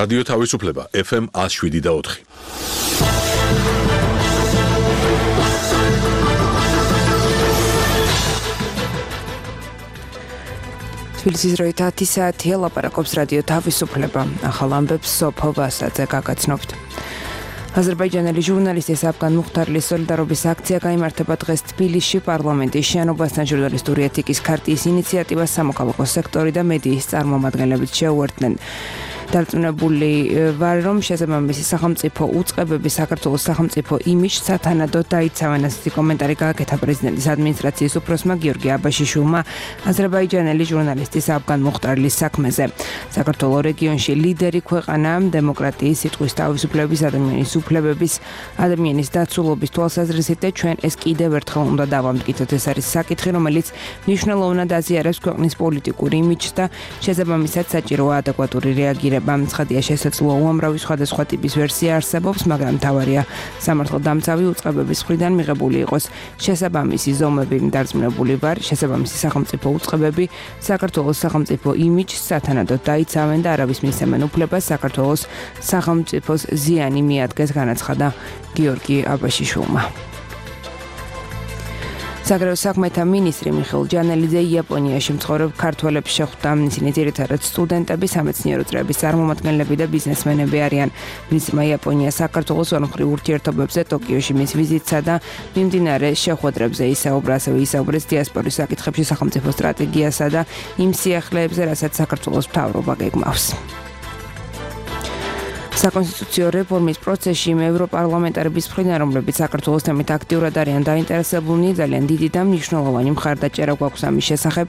რადიო თავისუფლება FM 107.4. თბილისის დროით 10 საათია, ლაპარაკობს რადიო თავისუფლება. ახალ ამბებს სოფო ვასაძე გაგაცნობთ. აზერბაიჯანელი ჟურნალისტი საფგან მუხთარლის სოლიდარობის აქცია გაიმართება დღეს თბილისში პარლამენტის შენობასთან. ჟურნალისტური ეთიკის ქარტიის ინიციატივას სამოქალაქო სექტორი და მედიის წარმომადგენლებიც შეუერთდნენ. დარწმუნებული ვარ, რომ შესაბამისი სახელმწიფო უწყებები საქართველოს სახელმწიფო იმიჯს სათანადოდ დაიცავენ. ასეთი კომენტარი გააკეთა პრეზიდენტის ადმინისტრაციის უფროსმა გიორგი აბაშიშვილმა აზერბაიჯანელი ჟურნალისტის საფგან მუხთარლის საქმეზე. საქართველოს რეგიონში ლიდერი ქვეყანა დემოკრატიის, სიტყვის თავისუფლების, ადამიანის უფლებების, ადამიანის დაცულობის თვალსაზრისით და ჩვენ ეს კიდევ ერთხელ უნდა დავამტკიცოთ. ეს არის საკითხი, რომელიც მნიშვნელოვნად აზიარებს ქვეყნის პოლიტიკურ იმიჯს და შესაბამისად საჭიროა ადეკვატური რეაგირება. ცხადია, შესაძლოა უამრავი სხვადასხვა ტიპის ვერსია არსებობს, მაგრამ მთავარია სამართალდამცავი უწყებების მხრიდან მიღებული იყოს შესაბამისი ზომები. დარწმუნებული ვარ, შესაბამისი სახელმწიფო უწყებები საქართველოს სახელმწიფო იმიჯს სათანადოდ დაიცავენ და არავის მისცემენ უფლებას საქართველოს სახელმწიფოს ზიანი მიადგეს, განაცხადა გიორგი აბაშიშვილმა. საგარეო საქმეთა მინისტრი მიხეილ ჯანელიძე იაპონიაში მცხოვრებ ქართველებს შეხვდა. ისინი ძირითადად სტუდენტები, სამეცნიერო წრეების წარმომადგენლები და ბიზნესმენები არიან. მინისტრმა იაპონია საქართველოს ორმხრივ ურთიერთობებზე ტოკიოში მის ვიზიტსა და მიმდინარე შეხვედრებზე ისაუბრა. ასევე ისაუბრეს დიასპორის საკითხებში სახელმწიფო სტრატეგიასა და იმ სიახლეებზე, რასაც საქართველოს მთავრობა გეგმავს. საკონსტიტუციო რეფორმის პროცესში ევროპარლამენტარების მხრიდან, რომლებიც საქართველოს თემით აქტიურად არიან დაინტერესებულნი, ძალიან დიდი და მნიშვნელოვანი მხარდაჭერა გვაქვს ამის შესახებ.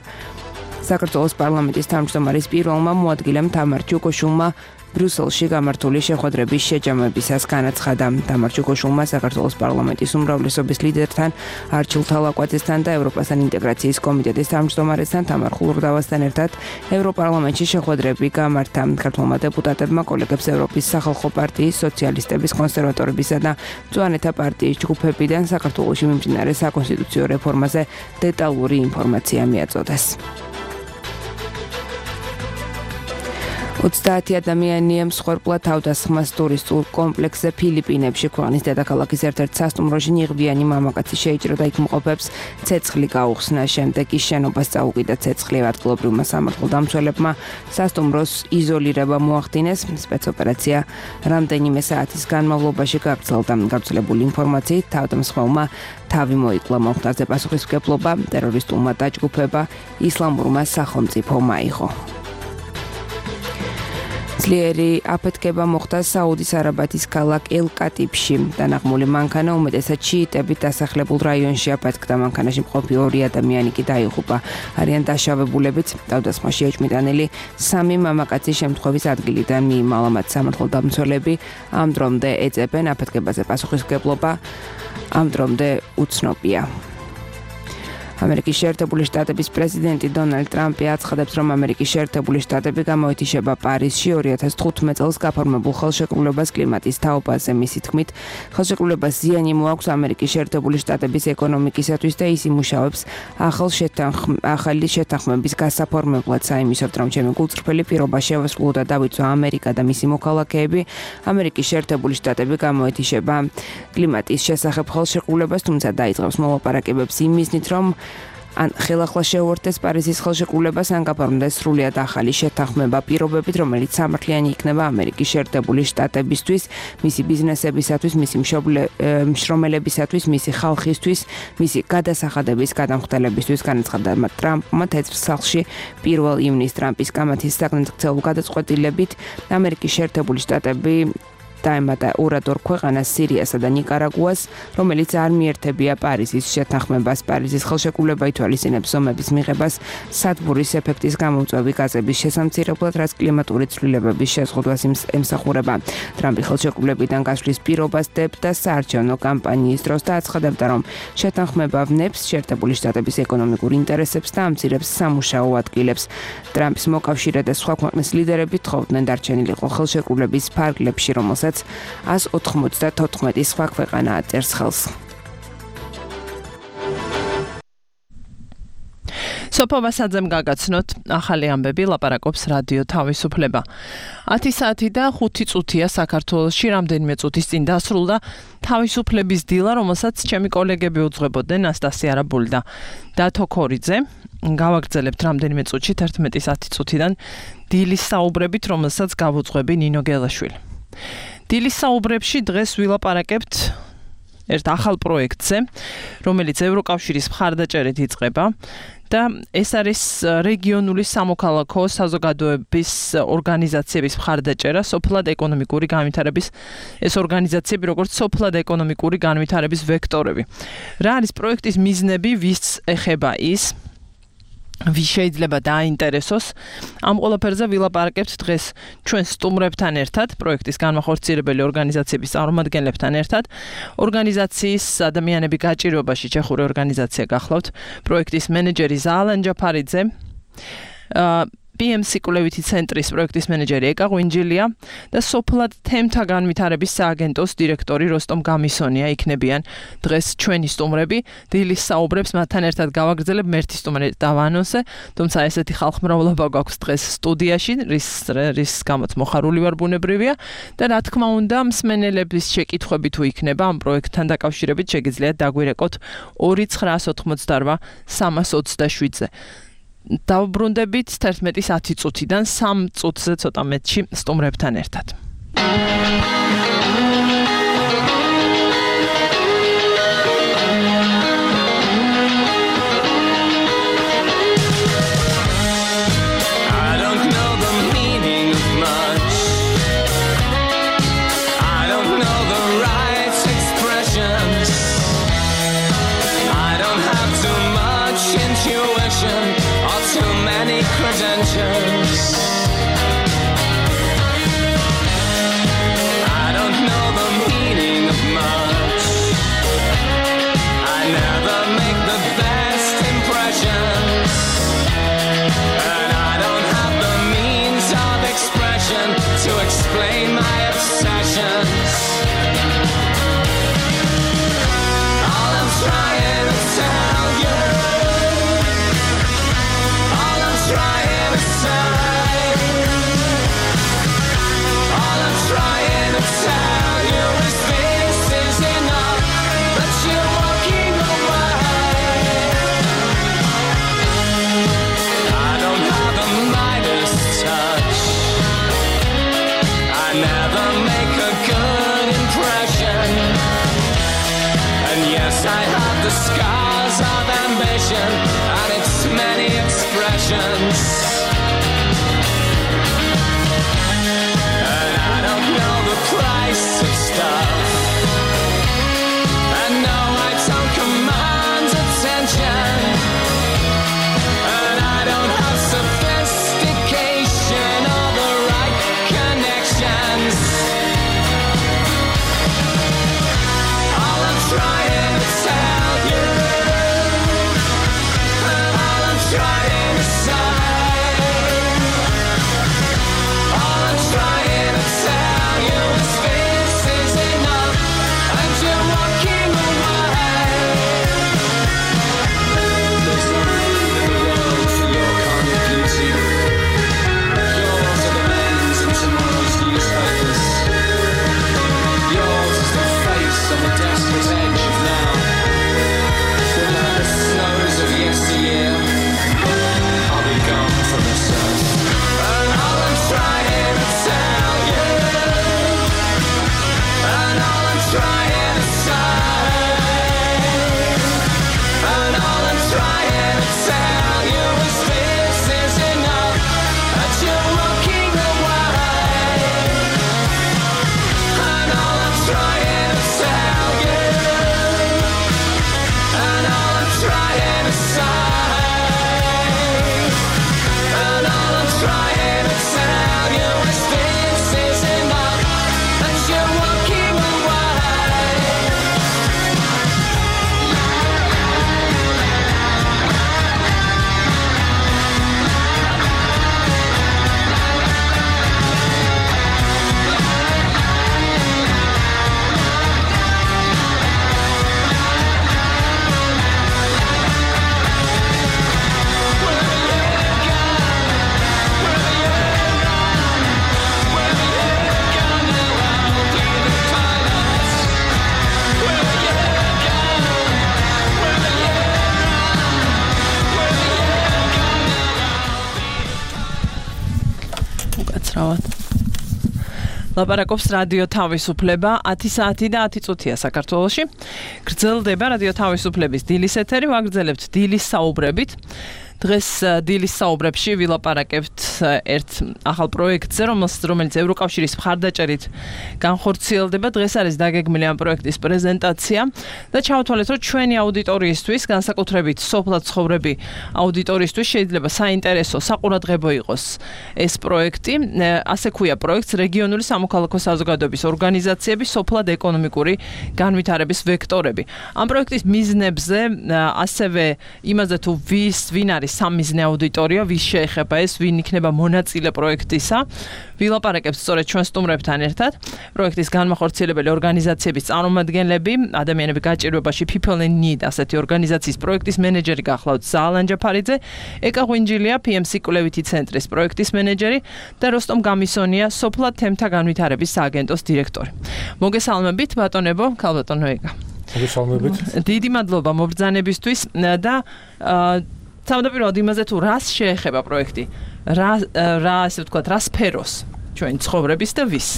საქართველოს პარლამენტის თავმჯდომარის პირველმა მოადგილემ თამარ ჩუკოშულმა ბრიუსელში გამართული შეხვედრების შეჯამებისას განაცხადა. თამარ ჩუკოშულმა საქართველოს პარლამენტის უმრავლესობის ლიდერთან, არჩილ თალაკვაძესთან და ევროპასთან ინტეგრაციის კომიტეტის თავმჯდომარესთან თამარ ხულურდავასთან ერთად ევროპარლამენტში შეხვედრები გამართა. ქართველმა დეპუტატებმა კოლეგებს ევროპის სახალხო პარტიის, სოციალისტების, კონსერვატორებისა და მწვანეთა პარტიის ჯგუფებიდან საქართველოში მიმდინარე საკონსტიტუციო რეფორმაზე დეტალური ინფორმაცია მიაწოდეს. 30 ადამიანია მსხვერპლად თავდასხმას ტურისტულ კომპლექსზე ფილიპინებში. ქვეყნის დედაქალაქის ერთ-ერთ სასტუმროში ნიღბიანი მამაკაცი შეიჭრა და იქ მყოფებს ცეცხლი გაუხსნა. შემდეგ ის შენობას წაუკიდა ცეცხლი. ადგილობრივმა სამართალდამცველებმა სასტუმროს იზოლირება მოახდინეს. სპეცოპერაცია რამდენიმე საათის განმავლობაში გაგრძელდა. გავრცელებული ინფორმაციით თავდამსხმელმა თავი მოიკლა. მომხდარზე პასუხისმგებლობა ტერორისტულმა დაჯგუფება ისლამურმა სახელმწიფომ აიღო. ძლიერი აფეთქება მოხდა საუდის არაბეთის ქალაქ ელ-კატიბში. დანაღმული მანქანა უმეტესად შიიტებით დასახლებულ რაიონში აფეთქდა. მანქანაში მყოფი 2 ადამიანი კი დაიღუპა. არიან დაშავებულებიც. თავდასხმაში ეჭვმიტანილი 3 მამაკაცის შემთხვევის ადგილიდან მიიმალა. მათ სამართალდამცველები ამ დრომდე ეძებენ. აფეთქებაზე პასუხისმგებლობა ამ დრომდე უცნობია. ამერიკის შეერთებული შტატების პრეზიდენტი დონალდ ტრამპი აცხადებს, რომ ამერიკის შეერთებული შტატები გამოეთიშება პარიზში 2015 წელს გაფორმებულ ხელშეკრულებას კლიმატის თაობაზე. მისი თქმით, ხელშეკრულებას ზიანი მოაქვს ამერიკის შეერთებული შტატების ეკონომიკისათვის და ის იმუშავებს ახალი შეთანხმების გასაფორმებლად. საიმისოდ, რომ ჩემი გულწრფელი პირობა შევასრულო და დავიწვა ამერიკა და მისი მოქალაქეები, ამერიკის შეერთებული შტატები გამოეთიშება კლიმატის შესახებ ხელშეკრულებას, თუმცა დაიწყებს მოლაპარაკებებს იმ მიზნით, რომ ან ხელახლა შეუერთდეს პარიზის ხელშეკრულებას, ან გაფორმდეს სრულიად ახალი შეთანხმება პირობებით, რომელიც სამართლიანი იქნება ამერიკის შეერთებული შტატებისთვის, მისი ბიზნესებისათვის, მისი მშრომელებისათვის, მისი ხალხისთვის, მისი გადასახადების გადამხდელებისთვის. განაცხადა ტრამპმა თეთრ სახლში 1 ივნისს ტრამპის კამათის საგნებისმცემლო გადაწყვეტილებით ამერიკის შეერთებული შტატები დაემატა 2 ქვეყანას, სირიასა და ნიკარაგუას, რომელიც არ მიერთებია პარიზის შეთანხმებას. პარიზის ხელშეკრულება ითვალისწინებს ზომების მიღებას სადგურის ეფექტის გამომწვევი გაზების შესამცირებლად, რაც კლიმატური ცვლილებების შეზღუდვას ემსახურება. ტრამპი ხელშეკრულებიდან გასვლის პირობას დებდა საარჩევნო კამპანიის დროს და აცხადებდა, რომ შეთანხმება ვნებს შეერთებული შტატების ეკონომიკურ ინტერესებს და ამცირებს სამუშაო ადგილებს. ტრამპის მოკავშირე და სხვა ქვეყნის ლიდერები თხოვდნენ დარჩენილიყო ხელშეკრულების ფარგლებში, რომელსაც 194 სხვა ქვეყანა აწერს ხელს. სოფო ვასაძემ გაგაცნოთ ახალი ამბები ლაპარაკობს რადიო თავისუფლება. 10 საათი და 5 წუთია საქართველოში რამდენიმე წუთის წინ დასრულდა თავისუფლების დილა, რომელსაც ჩემი კოლეგები უძღვებოდნენ ნასტასია არაბული და დათო ქორიძე. გავაგრძელებთ რამდენიმე წუთში 11:10 წუთიდან დილის საუბრებით, რომელსაც გავუძღვები ნინო გელაშვილი. დილის საუბრებში დღეს ვილაპარაკებთ ერთ ახალ პროექტზე, რომელიც ევროკავშირის მხარდაჭერით იწყება და ეს არის რეგიონული სამოქალაქო საზოგადოების ორგანიზაციების მხარდაჭერა სოფლად ეკონომიკური განვითარების ეს ორგანიზაციები როგორც სოფლად ეკონომიკური განვითარების ვექტორები. რა არის პროექტის მიზნები, ვის ეხება ის? ვის შეიძლება დააინტერესოს? ამ ყველაფერზე ვილაპარაკებთ დღეს ჩვენ სტუმრებთან ერთად, პროექტის განმახორციელებელი ორგანიზაციების წარმომადგენლებთან ერთად. ორგანიზაციის ადამიანები გაჭირვებაში ჩეხური ორგანიზაცია გახლავთ, პროექტის მენეჯერი ზალან ჯაფარიძე, PMC კვლევითი ცენტრის პროექტის მენეჯერი ეკა ღვინჯილია და სოფლად თემთა განვითარების სააგენტოს დირექტორი როსტომ გამისონია იქნებიან დღეს ჩვენი სტუმრები. დილის საუბრებს მათთან ერთად გავაგრძელებ, მერთი სტუმრი დავანონსე, თუმცა ესეთი ხალხმრავლობა გვაქვს დღეს სტუდიაში, რის გამოც მოხარული ვარ ბუნებრივია და რა თქმა უნდა მსმენელების შეკითხვები თუ იქნება ამ პროექტთან დაკავშირებით შეგიძლიათ დაგვირეკოთ 2988 327-ზე. დავბრუნდებით 11:10 წუთიდან 3 წუთზე ცოტა მეტში სტუმრებთან ერთად. Credentials. თავად. ლაპარაკობს რადიო თავისუფლება 10 საათი და 10 წუთია საქართველოში. გრძელდება რადიო თავისუფლების დილის ეთერი, ვაგრძელებთ დილის საუბრებით. დღეს დილის საუბრებში ვილაპარაკებთ ერთ ახალ პროექტზე, რომელიც ევროკავშირის მხარდაჭერით განხორციელდება. დღეს არის დაგეგმილი ამ პროექტის პრეზენტაცია და ჩავთვალეთ, რომ ჩვენი აუდიტორიისთვის, განსაკუთრებით სოფლად ცხოვრები აუდიტორიისთვის შეიძლება საინტერესო, საყურადღებო იყოს ეს პროექტი. ასე ქვია პროექტს რეგიონული სამოქალაქო საზოგადოების ორგანიზაციების სოფლად ეკონომიკური განვითარების ვექტორები. ამ პროექტის მიზნებზე, ასევე იმაზე თუ ვინ არის სამიზნე აუდიტორია, ვის შეეხება ეს, ვინ იქნება მონაწილე პროექტისა. ვილაპარაკებთ სწორედ ჩვენ სტუმრებთან ერთად. პროექტის განმახორციელებელი ორგანიზაციების წარმომადგენლები, ადამიანები გაჭირვებაში People in Need ასეთი ორგანიზაციის პროექტის მენეჯერი გახლავთ ზაალან ჯაფარიძე, ეკა ღვინჯილია PMC კვლევითი ცენტრის პროექტის მენეჯერი და როსტომ გამისონია სოფლად თემთა განვითარების სააგენტოს დირექტორი. მოგესალმებით ბატონებო, ქალბატონო ეკა. მოგესალმებით. დიდი მადლობა მობრძანებისთვის და თავდაპირველად იმაზე თუ რას შეეხება პროექტი, რა ასე ვთქვათ, რა სფეროს ჩვენი ცხოვრების და ვის?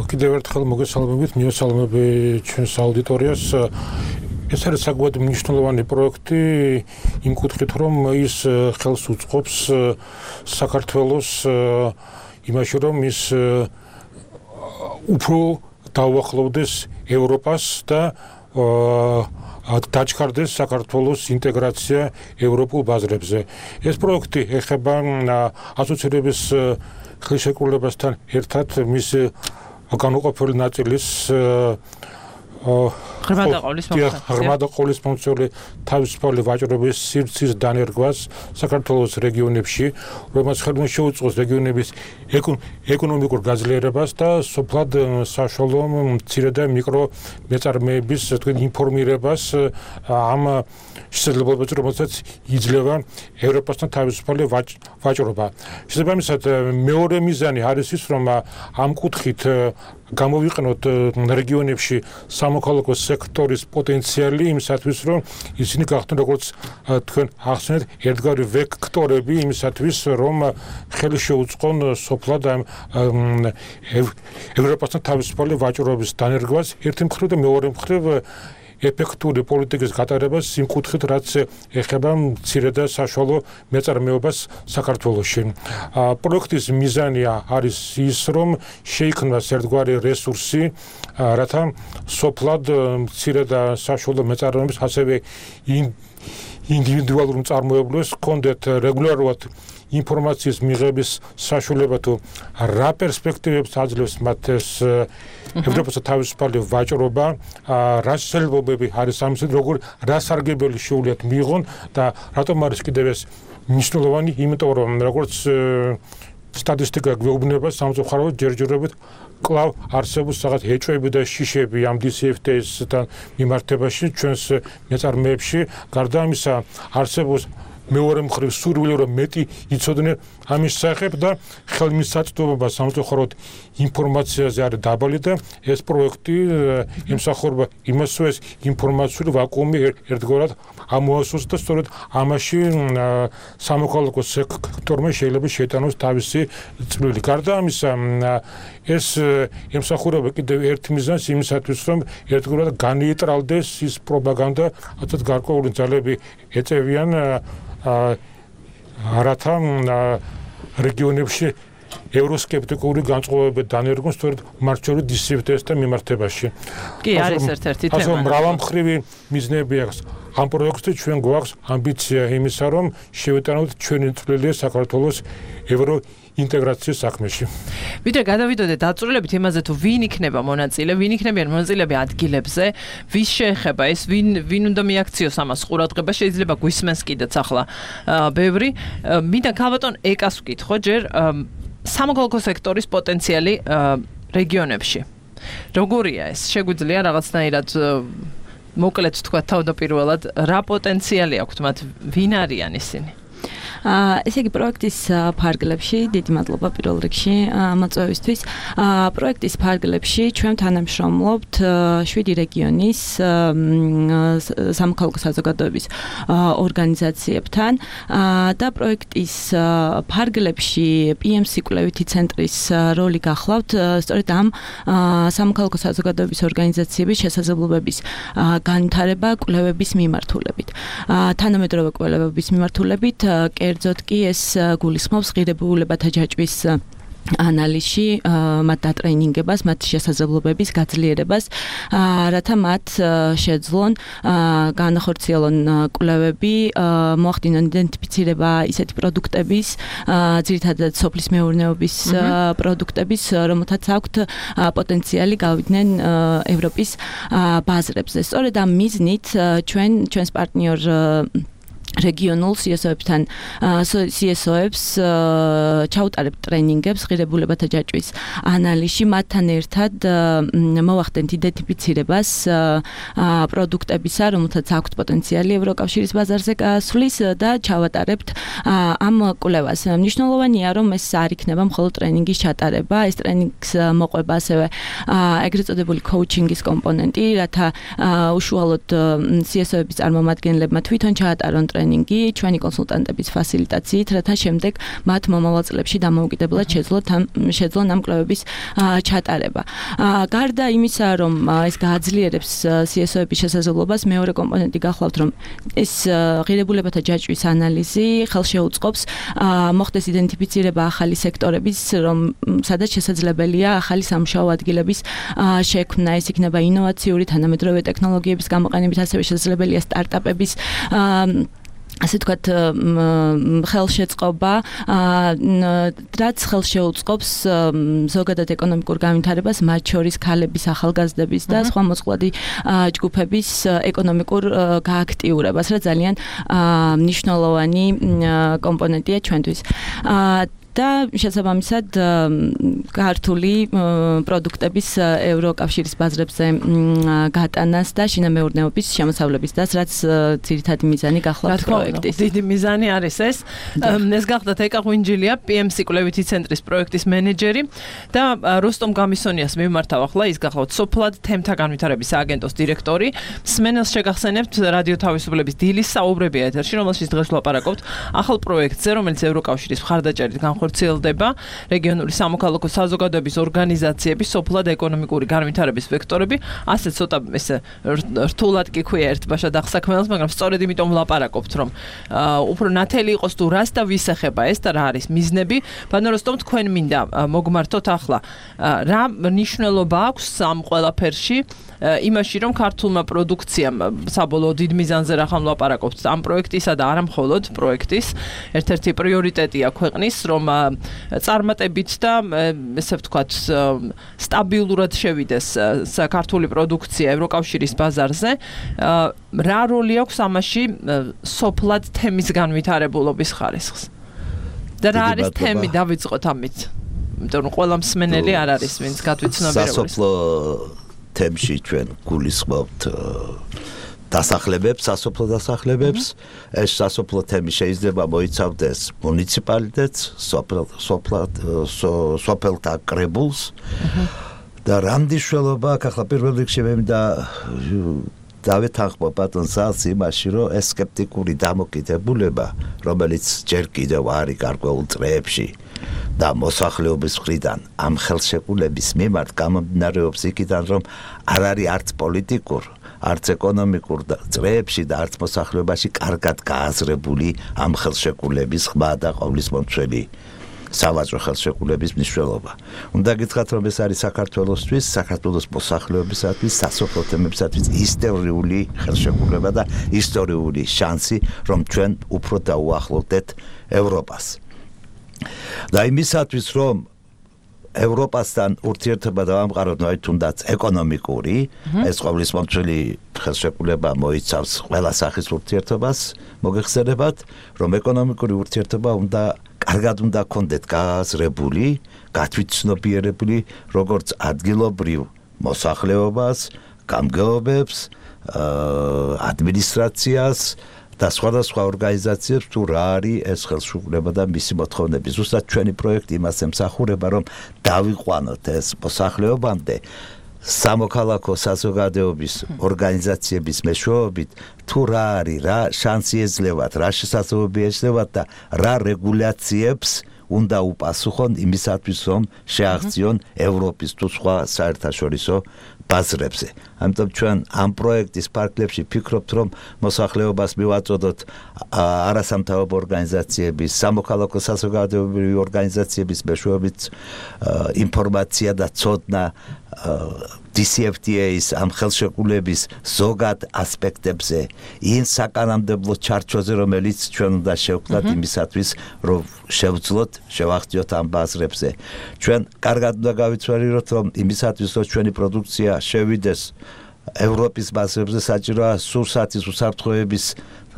კიდევ ერთხელ მოგესალმებით, მიესალმები ჩვენს აუდიტორიას. ეს არის საკმაოდ მნიშვნელოვანი პროექტი იმ კუთხით, რომ ის ხელს უწყობს საქართველოს იმაში, რომ ის უფრო დაუახლოვდეს ევროპას და დაჩქარდეს საქართველოს ინტეგრაცია ევროპულ ბაზრებზე. ეს პროექტი ეხება ასოცირების ხელშეკრულებასთან ერთად მის განუყოფელი ნაწილის ღრმა და ყოვლისმომცველი თავისუფალი ვაჭრობის სივრცის დანერგვას საქართველოს რეგიონებში, რომელსაც ხელმო შეუწყოს რეგიონების ეკონომიკურ გაძლიერებას და სოფლად საშუალო მცირე და მიკრო მეწარმეების ინფორმირებას ამ შესაძლებლობებზე, რომელსაც იძლევა ევროპასთან თავისუფალი ვაჭრობა. შესაბამისად, მეორე მიზანი არის ის, რომ ამ კუთხით გამოვიყენოთ რეგიონებში სამოქალაქო სექტორის პოტენციალი იმისათვის, რომ ისინი გახდნენ, როგორც თქვენ ახსენეთ, ერთგვარი ვექტორები იმისათვის, რომ ხელი შეუწყონ სოფლად ევროპასთან თავისუფალი ვაჭრობის დანერგვას ერთი მხრივ და მეორე მხრივ ეფექტური პოლიტიკის გატარებას იმ კუთხით, რაც ეხება მცირე და საშუალო მეწარმეობას საქართველოში. პროექტის მიზანი არის ის, რომ შეიქმნას ერთგვარი რესურსი, რათა სოფლად მცირე და საშუალო მეწარმეებს, ასევე ინდივიდუალურ მწარმოებლებს ჰქონდეთ რეგულარულად ინფორმაციის მიღების საშუალება თუ რა პერსპექტივებს აძლევს მათ ეს ევროპასთან თავისუფალი ვაჭრობა, რა შესაძლებლობები არის ამისთვის, რა სარგებელი შეუძლიათ მიიღონ და რატომ არის კიდევ ეს მნიშვნელოვანი, იმიტომ რომ როგორც სტატისტიკა გვეუბნება, სამწუხაროდ ჯერჯერობით კვლავ არსებობს რაღაც ეჭვები და შიშები ამ DCFTA-სთან მიმართებაში ჩვენს მეწარმეებში. გარდა ამისა, არსებობს მეორე მხრივ სურვილი, რომ მეტი იცოდნენ ამის სახებ და ხელმისაწვდომობა სამწუხაროდ ინფორმაციაზე არის დაბალი და ეს პროექტი ემსახურება იმას, რომ ეს ინფორმაციული ვაკუუმი ერთგვარად ამოასოს და სწორედ ამაში სამოქალაქო სექტორმა შეიძლება შეიტანოს თავისი წვლილი. გარდა ამისა, ეს ემსახურება კიდევ ერთ მიზანს იმისათვის, რომ ერთგვარად განიეტრალდეს ის პროპაგანდა, რასაც გარკვეული ძალები ეწევიან რათა რეგიონებში ევროსკეპტიკური განწყობები დანერგონ სწორედ მათ შორის DCFTA-სთან მიმართებაში. კი, არის ერთ-ერთი თემა. ასე მრავალმხრივი მიზნები აქვს. ამ პროექტში ჩვენ გვაქვს ამბიცია იმისა, რომ შევიტანოთ ჩვენი წვლილი საქართველოს ევრო ინტეგრაციის საქმეში. ვიდრე გადავიდოდეთ დაწვრილებით იმაზე თუ ვინ იქნება მონაწილე, ვინ იქნებიან მონაწილეები ადგილებზე, ვის შეეხება ეს, ვინ უნდა მიაქციოს ამას ყურადღება, შეიძლება გვისმენს კიდეც ახლა ბევრი. მინდა ქალბატონ ეკას ვკითხო ჯერ სამოქალაქო სექტორის პოტენციალი რეგიონებში. როგორია ეს? შეგვიძლია რაღაცნაირად მოკლედ თქვა თავდაპირველად, რა პოტენციალი აქვთ მათ, ვინ არიან ისინი? ესე იგი პროექტის ფარგლებში დიდი მადლობა პირველ რიგში მოწვევისთვის. პროექტის ფარგლებში ჩვენ თანამშრომლობთ 7 რეგიონის სამოქალაქო საზოგადოების ორგანიზაციებთან და პროექტის ფარგლებში PMC კვლევითი ცენტრის როლი გახლავთ სწორედ ამ სამოქალაქო საზოგადოების ორგანიზაციების შესაძლებლობების განვითარება კვლევების მიმართულებით. თანამედროვე კვლევების მიმართულებით, კერძოდ კი ეს გულისხმობს ღირებულებათა ჯაჭვის ანალიზში, მათ დატრეინინგებას, მათ შესაძლებლობების გაძლიერებას, რათა მათ შეძლონ განახორციელონ კვლევები, მოახდინონ იდენტიფიცირება ისეთი პროდუქტების, ძირითადად სოფლის მეურნეობის პროდუქტების, რომელთაც აქვთ პოტენციალი გავიდნენ ევროპის ბაზრებზე. სწორედ ამ მიზნით ჩვენს პარტნიორ რეგიონულ CSO-ებთან CSO-ებს ჩაუტარებთ ტრენინგებს ღირებულებათა ჯაჭვის ანალიზში, მათთან ერთად მოვახდენთ იდენტიფიცირებას პროდუქტებისა, რომელთაც აქვთ პოტენციალი ევროკავშირის ბაზარზე გასვლის და ჩავატარებთ ამ კვლევას. მნიშვნელოვანია, რომ ეს არ იქნება მხოლოდ ტრენინგის ჩატარება, ეს ტრენინგს მოყვება ასევე ეგრეთ წოდებული კოუჩინგის კომპონენტი, რათა უშუალოდ CSO-ების წარმომადგენლებმა თვითონ ჩაატარონ ტრენინგი ჩვენი კონსულტანტების ფასილიტაციით, რათა შემდეგ მათ მომავალ წლებში დამოუკიდებლად შეძლონ ამ კვლევების ჩატარება. გარდა იმისა, რომ ეს გააძლიერებს CSO-ების შესაძლებლობას, მეორე კომპონენტი გახლავთ, რომ ეს ღირებულებათა ჯაჭვის ანალიზი ხელშეუწყობს მოხდეს იდენტიფიცირება ახალი სექტორების, სადაც შესაძლებელია ახალი სამუშაო ადგილების შექმნა, ეს იქნება ინოვაციური თანამედროვე ტექნოლოგიების გამოყენებით, ასევე შესაძლებელია სტარტაპების ასე თქვათ ხელშეწყობა, რაც ხელშეუწყობს ზოგადად ეკონომიკურ განვითარებას, მათ შორის ქალების, ახალგაზრდების და სხვა მოწყვლადი ჯგუფების ეკონომიკურ გააქტიურებას, რაც ძალიან მნიშვნელოვანი კომპონენტია ჩვენთვის. და შესაბამისად ქართული პროდუქტების ევროკავშირის ბაზრებზე გატანას და შინამეურნეობის შემოსავლების დას, რაც ძირითადი მიზანი გახლავთ პროექტის. დიდი მიზანი არის ეს. ეს გახლავთ ეკა ღვინჯილია, PMC კვლევითი ცენტრის პროექტის მენეჯერი და როსტომ გამისონიას მიმართავ ახლა, ის გახლავთ სოფლად თემთა განვითარების სააგენტოს დირექტორი. მსმენელს შეგახსენებთ რადიო თავისუფლების დილის საუბრები ეთერში, რომელშიც დღეს ვლაპარაკობთ ახალ პროექტზე, რომელიც ევროკავშირის მხარდაჭერით განხორციელდება რეგიონული სამოქალაქო საზოგადოების ორგანიზაციების სოფლად ეკონომიკური განვითარების ვექტორები, ასე ცოტა ესე რთულად კი ქვია ერთბაშად აღსაქმნელს, მაგრამ სწორედ იმიტომ ვლაპარაკობთ, რომ უფრო ნათელი იყოს თუ რას და ვის ეხება ეს და რა არის მიზნები. ბატონო როსტომ, თქვენ მინდა მოგმართოთ ახლა რა მნიშვნელობა აქვს ამ ყველაფერში იმაში, რომ ქართულმა პროდუქციამ საბოლოო დიდ მიზანზე რა ხომ ვლაპარაკობთ ამ პროექტისა და არა მხოლოდ პროექტის ერთ-ერთი პრიორიტეტია ქვეყნის, რომ წარმატებით და ესე ვთქვათ სტაბილურად შევიდეს ქართული პროდუქცია ევროკავშირის ბაზარზე. რა როლი აქვს ამაში სოფლად თემის განვითარებულობის ხარისხს? და რა არის თემი, დავიწყოთ ამით. იმიტომ რომ ყველა მსმენელი არ არის, ვინც გადვიცნობიერებულს. სასოფლო თემში ჩვენ გულისხმობთ დასახლებებს, სასოფლო დასახლებებს. ეს სასოფლო თემი შეიძლება მოიცავდეს მუნიციპალიტეტს, სოფელთა კრებულს და რამდიშველობა აქ ახლა პირველ რიგში მე მინდა დავეთანხმო ბატონ ზალს იმაში, რომ ეს სკეპტიკური დამოკიდებულება, რომელიც ჯერ კიდევ არის გარკვეულ წრეებში და მოსახლეობის მხრიდან ამ ხელშეკრულების მიმართ გამომდინარეობს იქიდან, რომ არ არის არც პოლიტიკურ, არც ეკონომიკურ წრეებში და არც მოსახლეობაში კარგად გააზრებული ამ ხელშეკრულების ხმა და ყოვლისმომცველი სავაჭრო ხელშეკრულების მნიშვნელობა. უნდა გითხრათ, რომ ეს არის საქართველოსთვის, საქართველოს მოსახლეობისათვის, სასოფლო თემებისათვის ისტორიული ხელშეკრულება და ისტორიული შანსი, რომ ჩვენ უფრო დაუახლოვდეთ ევროპას. და იმისათვის, რომ ევროპასთან ურთიერთობა დავამყაროთ, თუნდაც ეკონომიკური, ეს ყოვლისმომცველი ხელშეკრულება მოიცავს ყველა სახის ურთიერთობას, მოგეხსენებათ, რომ ეკონომიკური ურთიერთობა კარგად უნდა გქონდეთ გააზრებული, გათვითცნობიერებული, როგორც ადგილობრივ მოსახლეობას, გამგეობებს, ადმინისტრაციას და სხვადასხვა ორგანიზაციებს თუ რა არის ეს ხელშეკრულება და მისი მოთხოვნები. ზუსტად ჩვენი პროექტი იმას ემსახურება, რომ დავიყვანოთ ეს მოსახლეობამდე სამოქალაქო საზოგადოების ორგანიზაციების მეშვეობით თუ რა არის, რა შანსი ეძლევათ, რა შესაძლებლობები ეძლევათ და რა რეგულაციებს უნდა უპასუხონ იმისათვის, რომ შეაღწიონ ევროპის თუ სხვა საერთაშორისო ბაზრებზე. ამიტომ ჩვენ ამ პროექტის ფარგლებში ვფიქრობთ, რომ მოსახლეობას მივაწოდოთ არასამთავრობო ორგანიზაციების, სამოქალაქო საზოგადოებრივი ორგანიზაციების მეშვეობით ინფორმაცია და ცოდნა DCFTA-ის ამ ხელშეკრულების ზოგად ასპექტებზე, იმ საკანონმდებლო ჩარჩოზე, რომელიც ჩვენ უნდა შევქმნათ იმისათვის, რომ შევძლოთ, შევახციოთ ამ ბაზრებზე. ჩვენ კარგად უნდა გავიცვალოთ, რომ იმისათვის, რომ ჩვენი პროდუქცია შევიდეს ევროპის ბაზრებზე, საჭიროა სურსათის უსაფრთხოების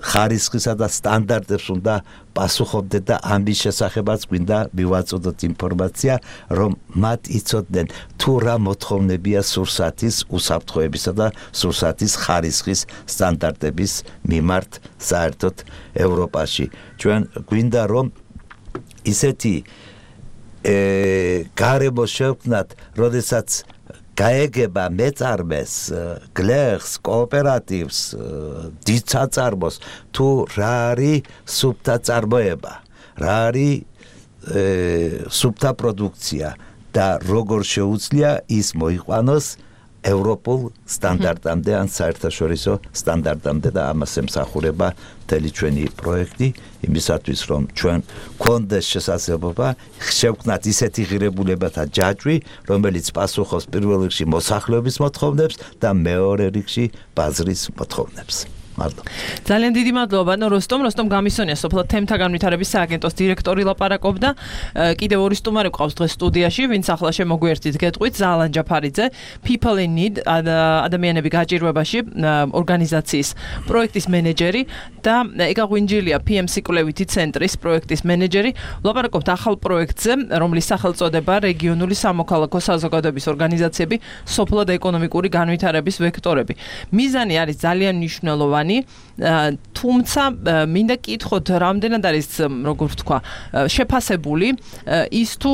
ხარისხისა და სტანდარტებს უნდა პასუხობდეთ და ამის შესახებაც გვინდა მივაწოდოთ ინფორმაცია, რომ მათ იცოდნენ თუ რა მოთხოვნებია სურსათის უსაფრთხოებისა და სურსათის ხარისხის სტანდარტების მიმართ საერთოდ ევროპაში. ჩვენ გვინდა რომ ისეთი გარემო შევქმნათ, როდესაც გაეგება მეწარმეს, გლეხს, კოოპერატივს, დიდ საწარმოს, თუ რა არის სუფთა წარმოება, რა არის სუფთა პროდუქცია და როგორ შეუძლია ის მოიყვანოს ევროპულ სტანდარტამდე ან საერთაშორისო სტანდარტამდე და ამას ემსახურება მთელი ჩვენი პროექტი იმისათვის, რომ ჩვენ გქონდეს შესაძლებლობა შევქმნათ ისეთი ღირებულებათა ჯაჭვი, რომელიც პასუხობს პირველ რიგში მოსახლეობის მოთხოვნებს და მეორე რიგში ბაზრის მოთხოვნებს. ძალიან დიდი მადლობა როსტომ გამისონია სოფლად თემთა განვითარების სააგენტოს დირექტორი ლაპარაკობდა. კიდევ ორი სტუმარი გვყავს დღეს სტუდიაში, ვინც ახლა შემოგვიერთით გეტყვით, ზალან ჯაფარიძე, People in Need, ადამიანები გაჭირვებაში ორგანიზაციის პროექტის მენეჯერი და ეკა ღვინჯილია PMC კვლევითი ცენტრის პროექტის მენეჯერი. ლაპარაკობთ ახალ პროექტზე, რომლის სახელწოდება რეგიონული სამოქალაქო საზოგადოების ორგანიზაციები, სოფლად ეკონომიკური განვითარების ვექტორები. მიზანი არის ძალიან მნიშვნელოვანი, თუმცა მინდა კითხოთ, რამდენად არის, როგორ ვთქვა, შეფასებული ის თუ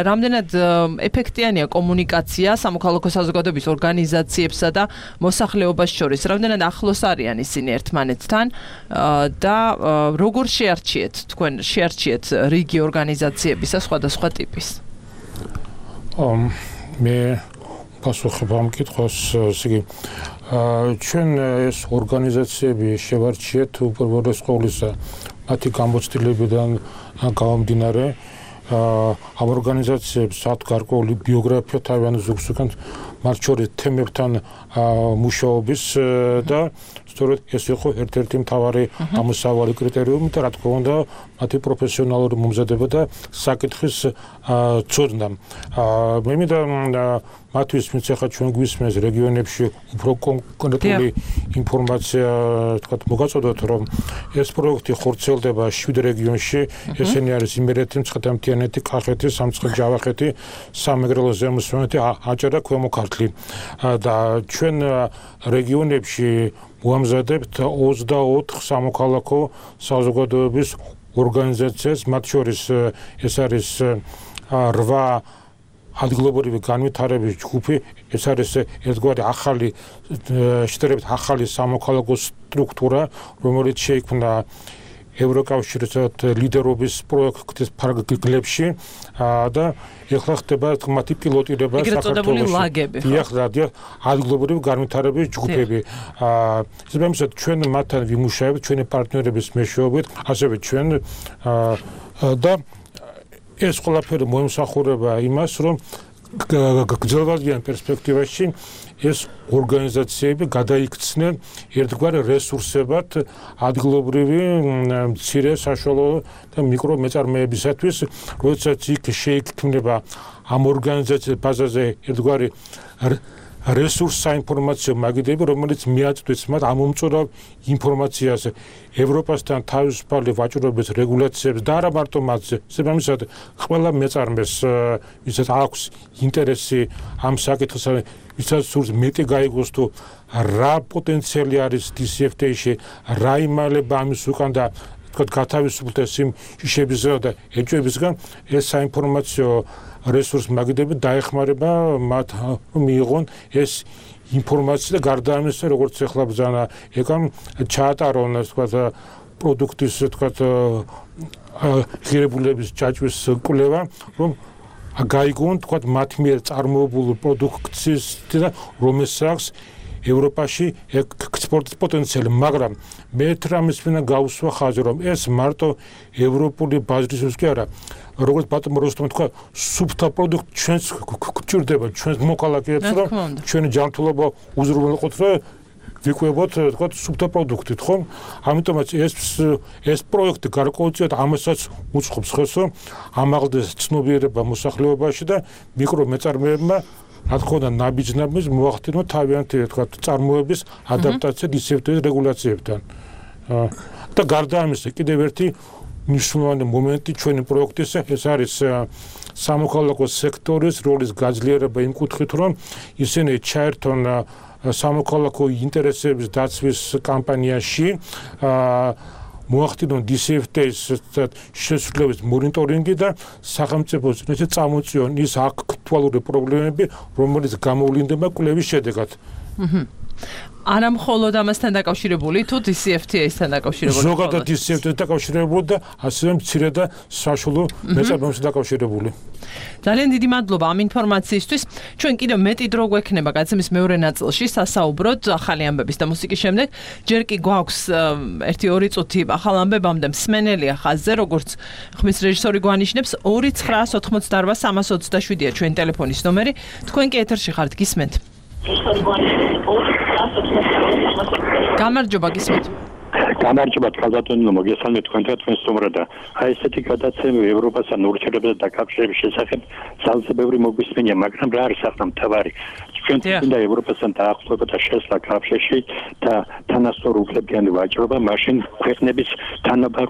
რამდენად ეფექტიანია კომუნიკაცია სამოქალაქო საზოგადოების ორგანიზაციებსა და მოსახლეობას შორის, რამდენად ახლოს არიან ისინი ერთმანეთთან და როგორ შეარჩიეთ რიგი ორგანიზაციებისა სხვადასხვა ტიპის. მე პასუხი ამ კითხვას, ისე ჩვენ ეს ორგანიზაციები შევარჩიეთ უპირველეს ყოვლისა მათი გამოცდილებიდან გამომდინარე. ამ ორგანიზაციებს აქვს გარკვეული ბიოგრაფია თავიანთი ზოგსუგან მათ შორის თემებთან მუშაობის და სწორედ ეს იყო ერთ-ერთი მთავარი ამოსავალი კრიტერიუმი და რა თქმა უნდა მათი პროფესიონალური მომზადება და საკითხის ცოდნა. მე მინდა მათთვის ვინც ახლა ჩვენ გვისმენს რეგიონებში უფრო კონკრეტული ინფორმაცია თქვათ მოგაწოდოთ, რომ ეს პროექტი ხორციელდება 7 რეგიონში, ესენი არის იმერეთი, მცხეთა-მთიანეთი, კახეთი, სამცხე-ჯავახეთი, სამეგრელო ზემო სვანეთი, აჭარა, ქვემო ქართლი და ჩვენ რეგიონებში ვამზადებთ 24 სამოქალაქო საზოგადოების ორგანიზაციას, მათ შორის ეს არის 8 ადგილობრივი განვითარების ჯგუფი, ეს არის ერთგვარი ახალი შედარებით ახალი სამოქალაქო სტრუქტურა, რომელიც შეიქმნა ევროკავშირის ლიდერობის პროექტის ფარგლებში და ეხლა ხდება მათი პილოტირება საქართველოში. ადგილობრივი განვითარების ჯგუფები. ზოგადად ჩვენ მათთან ვიმუშავებთ, ჩვენი პარტნიორების მეშვეობით, ასევე ჩვენ და ეს ყველაფერი მოემსახურება იმას, რომ გრძელვადიან პერსპექტივაში ეს ორგანიზაციები გადაიქცნენ ერთგვარ რესურსებად ადგილობრივი მცირე საშუალო და მიკრო მეწარმეებისათვის, როდესაც იქ შეიქმნება ამ ორგანიზაციების ბაზაზე ერთგვარი რესურს საინფორმაციო მაგიდები, რომელიც მიაწვდის მათ ამომწურავ ინფორმაციას ევროპასთან თავისუფალი ვაჭრობის რეგულაციებს და არა მარტო მათზე. შესაბამისად, ყველა მეწარმეს ვისაც აქვს ინტერესი ამ საკითხზე, ვისაც სურს მეტი გაიგოს თუ რა პოტენციალი არის DCFTA-ში, რა იმალება ამის უკან და გათავისუფლდეს იმ შიშებისგან და ეჭვებისგან, ეს საინფორმაციო რესურს მაგიდები დაეხმარება მათ მიიღონ ეს ინფორმაცია და გარდა ამისა, როგორც ახლა ბრძანა ეკამ ჩაატარონ პროდუქტის ღირებულების ჯაჭვის კვლევა, რომ გაიგონ მათ მიერ წარმოებული პროდუქციის და რომელსაც ევროპაში ექსპორტის პოტენციალი, მაგრამ მე რამის ვინა გავუსვა ხაზი, რომ ეს მარტო ევროპული ბაზრისთვის კი არა, როგორც ბატონო როსტომ თქვა, სუფთა პროდუქტი ჩვენს გვჭირდება, ჩვენს მოქალაქეებს, რომ ჩვენი ჯანმრთელობა უზრუნველყოთ, რომ ვიკვებოთ, თქვა, სუფთა პროდუქტით, ხო? ამიტომაც ეს პროექტი გარკვეულწილად ამასაც უწყობს ხელს, რომ ამაღლდეს ცნობიერება მოსახლეობაში და მიკრომეწარმეებმა რა თქმა უნდა ნაბიჯ-ნაბიჯ მოახდინონ თავიანთი თქვა წარმოების ადაპტაცია DCFTA-ის რეგულაციებთან. და გარდა ამისა, კიდევ ერთი მნიშვნელოვანი მომენტი ჩვენი პროექტის ეს არის სამოქალაქო სექტორის როლის გაძლიერება იმ კუთხით, რომ ისინი ჩაერთონ სამოქალაქო ინტერესების დაცვის კამპანიაში მოახდინონ DCFTA-ის შესრულების მონიტორინგი და სახელმწიფოს წინაშე წამოწიონ ის აქტუალური პრობლემები, რომელიც გამოვლინდება კვლევის შედეგად. არა მხოლოდ ამასთან დაკავშირებული, თუ DCFTA-ისთან დაკავშირებული. ზოგადად DCFTA-თან დაკავშირებული და ასევე მცირე და საშუალო მეწარმეებთან დაკავშირებული. ძალიან დიდი მადლობა ამ ინფორმაციისთვის. ჩვენ კიდევ მეტი დრო გვექნება გაცემის მეორე ნაწილში სასაუბროდ ახალი ამბების და მუსიკის შემდეგ. ჯერ კი გვაქვს 1-2 წუთი ახალ ამბებამდე მსმენელია ხაზზე, როგორც ხმის რეჟისორი გვანიშნებს 2988327-ია ჩვენი ტელეფონის ნომერი. თქვენ კი ეთერში ხართ, გისმენთ. გამარჯობა, გისმენთ. გამარჯობა, ბატონო, მოგესალმებით თქვენთან თქვენ სტუმრად. აი ესეთი გადაცემა ევროპასთან ურთიერთობათა დაკავშირების შესახებ ძალზე ბევრი მოგვისმენია, მაგრამ რა არის ახლა მთავარი? ჩვენ თვითონ ევროპასთან დაახლოება და შესვლა კავშირში და თანასწორ უფლებიანი ვაჭრობა, მაშინ ქვეყნების თანაბარ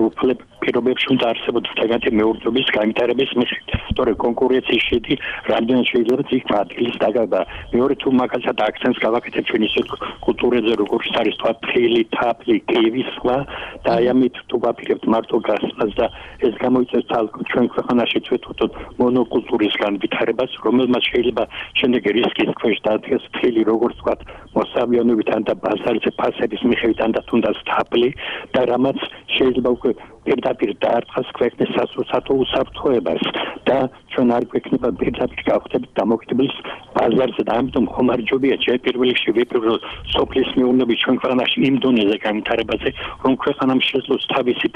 პირობებში უნდა არსებობდეს თაგათი მეურნეობის განვითარების მიზნით. თორე კონკურენციის შედი რამდენად შეიძლება იქ ადგილის დაგება. მეორე თუ მაგალითად აქცენტს გავაკეთებ ჩვენ ისეთ კულტურაზე, როგორც არის თქვა ფილი, თაფლი, კევისხლა და აი ამით თუ ვაპირებთ მარტო გასწრას და ეს გამოიწვევს თალკო ჩვენ ქვეყანაში თვითონ მონოკულტურის განვითარებას, რომელმაც შეიძლება შემდეგ რისკის ქვეშ დადგეს ფილი, როგორც თქვა მოსავიანობიდან და ბაზარზე ფასების მიხედვით და თუნდაც თაფლი და რამაც შეიძლება უკვე პირდაპირ დაარტყას ქვეყნის სასურსათო უსაფრთხოებას და ჩვენ არ გვექნება პირდაპირ გავხდებით დამოკიდების ბაზარზე და ამიტომ ხომარჯობია ჯერ პირველ რიგში ვიპიროთ სოფლის მეურნეობის ჩვენ ქვეყანაში იმ დონეზე განვითარებაზე, რომ ქვეყანამ შეძლოს თავისი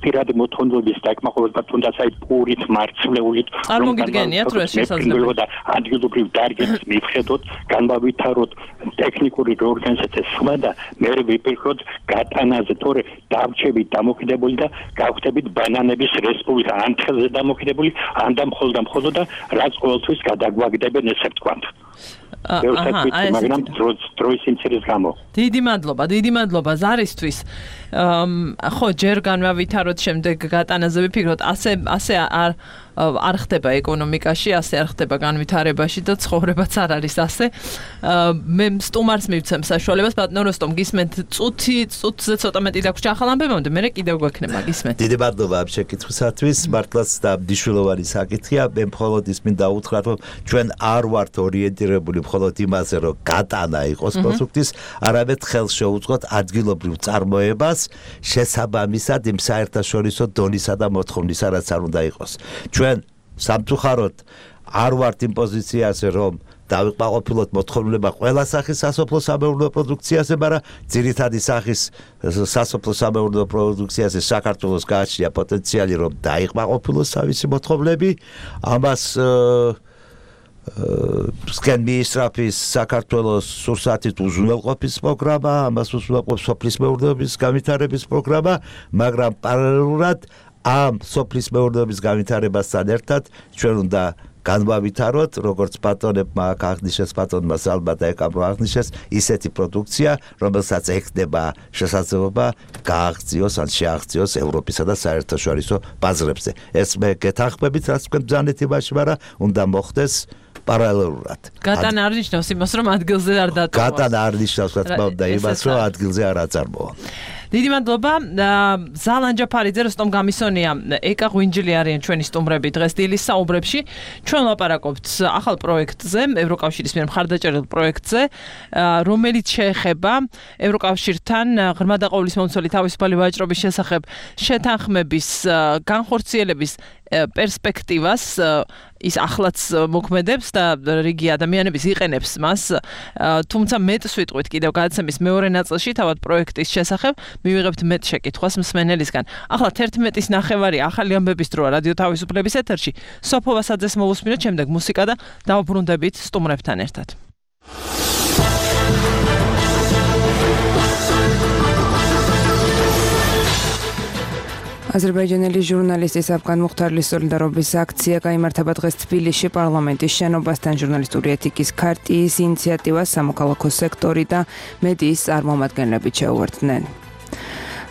პირადი მოთხოვნილების დაკმაყოფილება თუნდაც აი პურით, მარცვლეულით, წარმოგიდგენიათ, რომ ეს შესაძლებელია და ადგილობრივ დარგებს მივხედოთ, განვავითაროთ ტექნიკური ორგანიზაციის სხვა და მე ვიპიროთ გატანაზე, თორე დავრჩებით დამოკიდებული და გავხდებით ბანანების რესპუბლიკა ან თხელზე დამოკიდებული, ან და მხოლოდ და რაც ყოველთვის გადაგვაგდებენ ესე ვთქვათ. მაგრამ დროის იმცირეს გამო. დიდი მადლობა ზარისთვის. ხო, ჯერ განვავითაროთ, შემდეგ გატანაზე ვიფიქროთ, ასე არ ხდება ეკონომიკაში, ასე არ ხდება განვითარებაში და ცხოვრებაც არ არის ასე. მე სტუმარს მივცემ საშუალებას, ბატონო როსტომ, გისმენთ წუთზე ცოტა მეტი დაგვრჩა ახალ ამბებამდე, მე კიდევ გვექნება, გისმენთ. დიდი მადლობა ამ შეკითხვისათვის, მართლაც და მნიშვნელოვანი საკითხია. მე მხოლოდ ის მინდა უთხრათ, რომ ჩვენ არ ვართ ორიენტირებული მხოლოდ იმაზე, რომ გატანა იყოს პროდუქტის, არამედ ხელს შეუწყოთ ადგილობრივ წარმოებას შესაბამისად იმ საერთაშორისო დონისა და მოთხოვნისა, რაც არ უნდა იყოს. ჩვენ სამწუხაროდ არ ვართ იმ პოზიციაზე, რომ დავიყვაყოფილოთ მოთხოვნილება ყველა სახის სასოფლო-სამეურნეო პროდუქციაზე, მაგრამ ძირითადი სახის სასოფლო-სამეურნეო პროდუქციაზე საქართველოს გააჩნია პოტენციალი, რომ დაიყვაყოფილოს თავისი მოთხოვნილები. ამას სკენ მიისწრაფის საქართველოს სურსათით უზრუნველყოფის პროგრამა, ამას უზრუნველყოფს სოფლის მეურნეობის განვითარების პროგრამა, მაგრამ პარალელურად ამ სოფლის მეურნეობის განვითარებასთან ერთად ჩვენ უნდა განვავითაროთ, როგორც ბატონებმა აქ აღნიშნეს, ბატონმა ალბათ ეკაბრო აღნიშნეს, ისეთი პროდუქცია, რომელსაც ეხდება შესაძლებლობა გააღწიოს ან შეაღწიოს ევროპისა და საერთაშორისო ბაზრებზე. ეს მე გეთანხმებით, რაც თქვენ ბრძანეთ იმაში, მაგრამ უნდა მოხდეს პარალელურად. გატანა არ ნიშნავს იმას, რომ ადგილზე არ დატოვოს. გატანა არ ნიშნავს, რა თქმა უნდა, იმას, რომ ადგილზე არ აწარმოონ. დიდი მადლობა ზალან ჯაფარიძე, როსტომ გამისონია, ეკა ღვინჯილი არიან ჩვენი სტუმრები დღეს დილის საუბრებში. ჩვენ ლაპარაკობთ ახალ პროექტზე, ევროკავშირის მიერ მხარდაჭერილ პროექტზე, რომელიც შეეხება ევროკავშირთან ღრმა და ყოვლისმომცველი თავისუფალი ვაჭრობის შესახებ შეთანხმების განხორციელების პერსპექტივას ის ახლაც მოქმედებს და რიგი ადამიანების იყენებს მას, თუმცა მეტს ვიტყვით კიდევ გადაცემის მეორე ნაწილში თავად პროექტის შესახებ მივიღებთ მეტ შეკითხვას მსმენელისგან. ახლა 11:30-ის ნახევარი ახალი ამბების დროა რადიო თავისუფლების ეთერში. სოფო ვასაძეს მოვუსმინოთ, შემდეგ მუსიკა და დავუბრუნდებით სტუმრებთან ერთად. აზერბაიჯანელი ჟურნალისტის აფგან მუხთარლის სოლიდარობის აქცია გაიმართება დღეს თბილისში პარლამენტის შენობასთან. ჟურნალისტური ეთიკის ქარტიის ინიციატივას სამოქალაქო სექტორი და მედიის წარმომადგენლები შეუერთდნენ.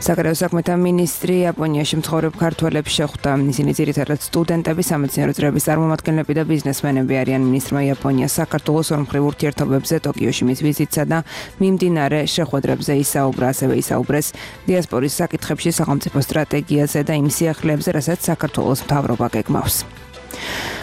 საგარეო საქმეთა მინისტრი იაპონიაში მცხოვრებ ქართველებს შეხვდა. ისინი ძირითადად სტუდენტები, სამეცნიერო წრეების წარმომადგენლები და ბიზნესმენები არიან. მინისტრმა იაპონიას საქართველოს ორმხრივ ურთიერთობებზე, ტოკიოში მის ვიზიტსა და მიმდინარე შეხვედრებზე ისაუბრა. ასევე ისაუბრეს დიასპორის საკითხებში, სახელმწიფო სტრატეგიაზე და იმ სიახლეებზე, რასაც საქართველოს მთავრობა გეგმავს.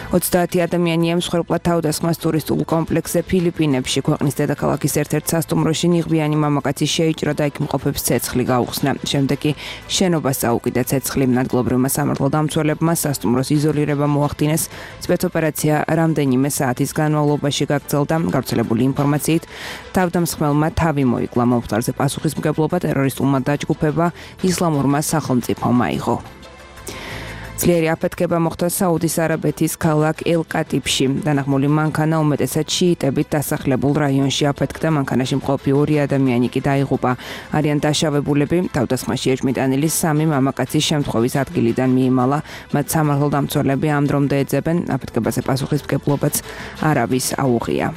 30 ადამიანია მსხვერპლად თავდასხმას ტურისტულ კომპლექსზე ფილიპინებში. ქვეყნის დედაქალაქის ერთ-ერთ სასტუმროში ნიღბიანი მამაკაცი შეიჭრა და იქ მყოფებს ცეცხლი გაუხსნა. შემდეგ კი შენობას წაუკიდა ცეცხლი. ადგილობრივმა სამართალდამცველებმა სასტუმროს იზოლირება მოახდინეს. სპეცოპერაცია რამდენიმე საათის განმავლობაში გაგრძელდა. გავრცელებული ინფორმაციით, თავდამსხმელმა თავი მოიკლა. მომხდარზე პასუხისმგებლობა ტერორისტულმა დაჯგუფება ისლამურმა სახელმწიფომ აიღო. ძლიერი აფეთქება მოხდა საუდის არაბეთის ქალაქ ელ-კატიფში. დანახმული მანქანა უმეტესად შიიტებით დასახლებულ რაიონში აფეთქდა. მანქანაში მყოფი 2 ადამიანი კი დაიღუპა. არიან დაშავებულები. თავდასხმაში ეჭვმიტანილი 3 მამაკაცის შემთხვევის ადგილიდან მიიმალა. მათ სამართალდამცველები ამ დრომდე ეძებენ. აფეთქებაზე პასუხისმგებლობაც არავის აუღია.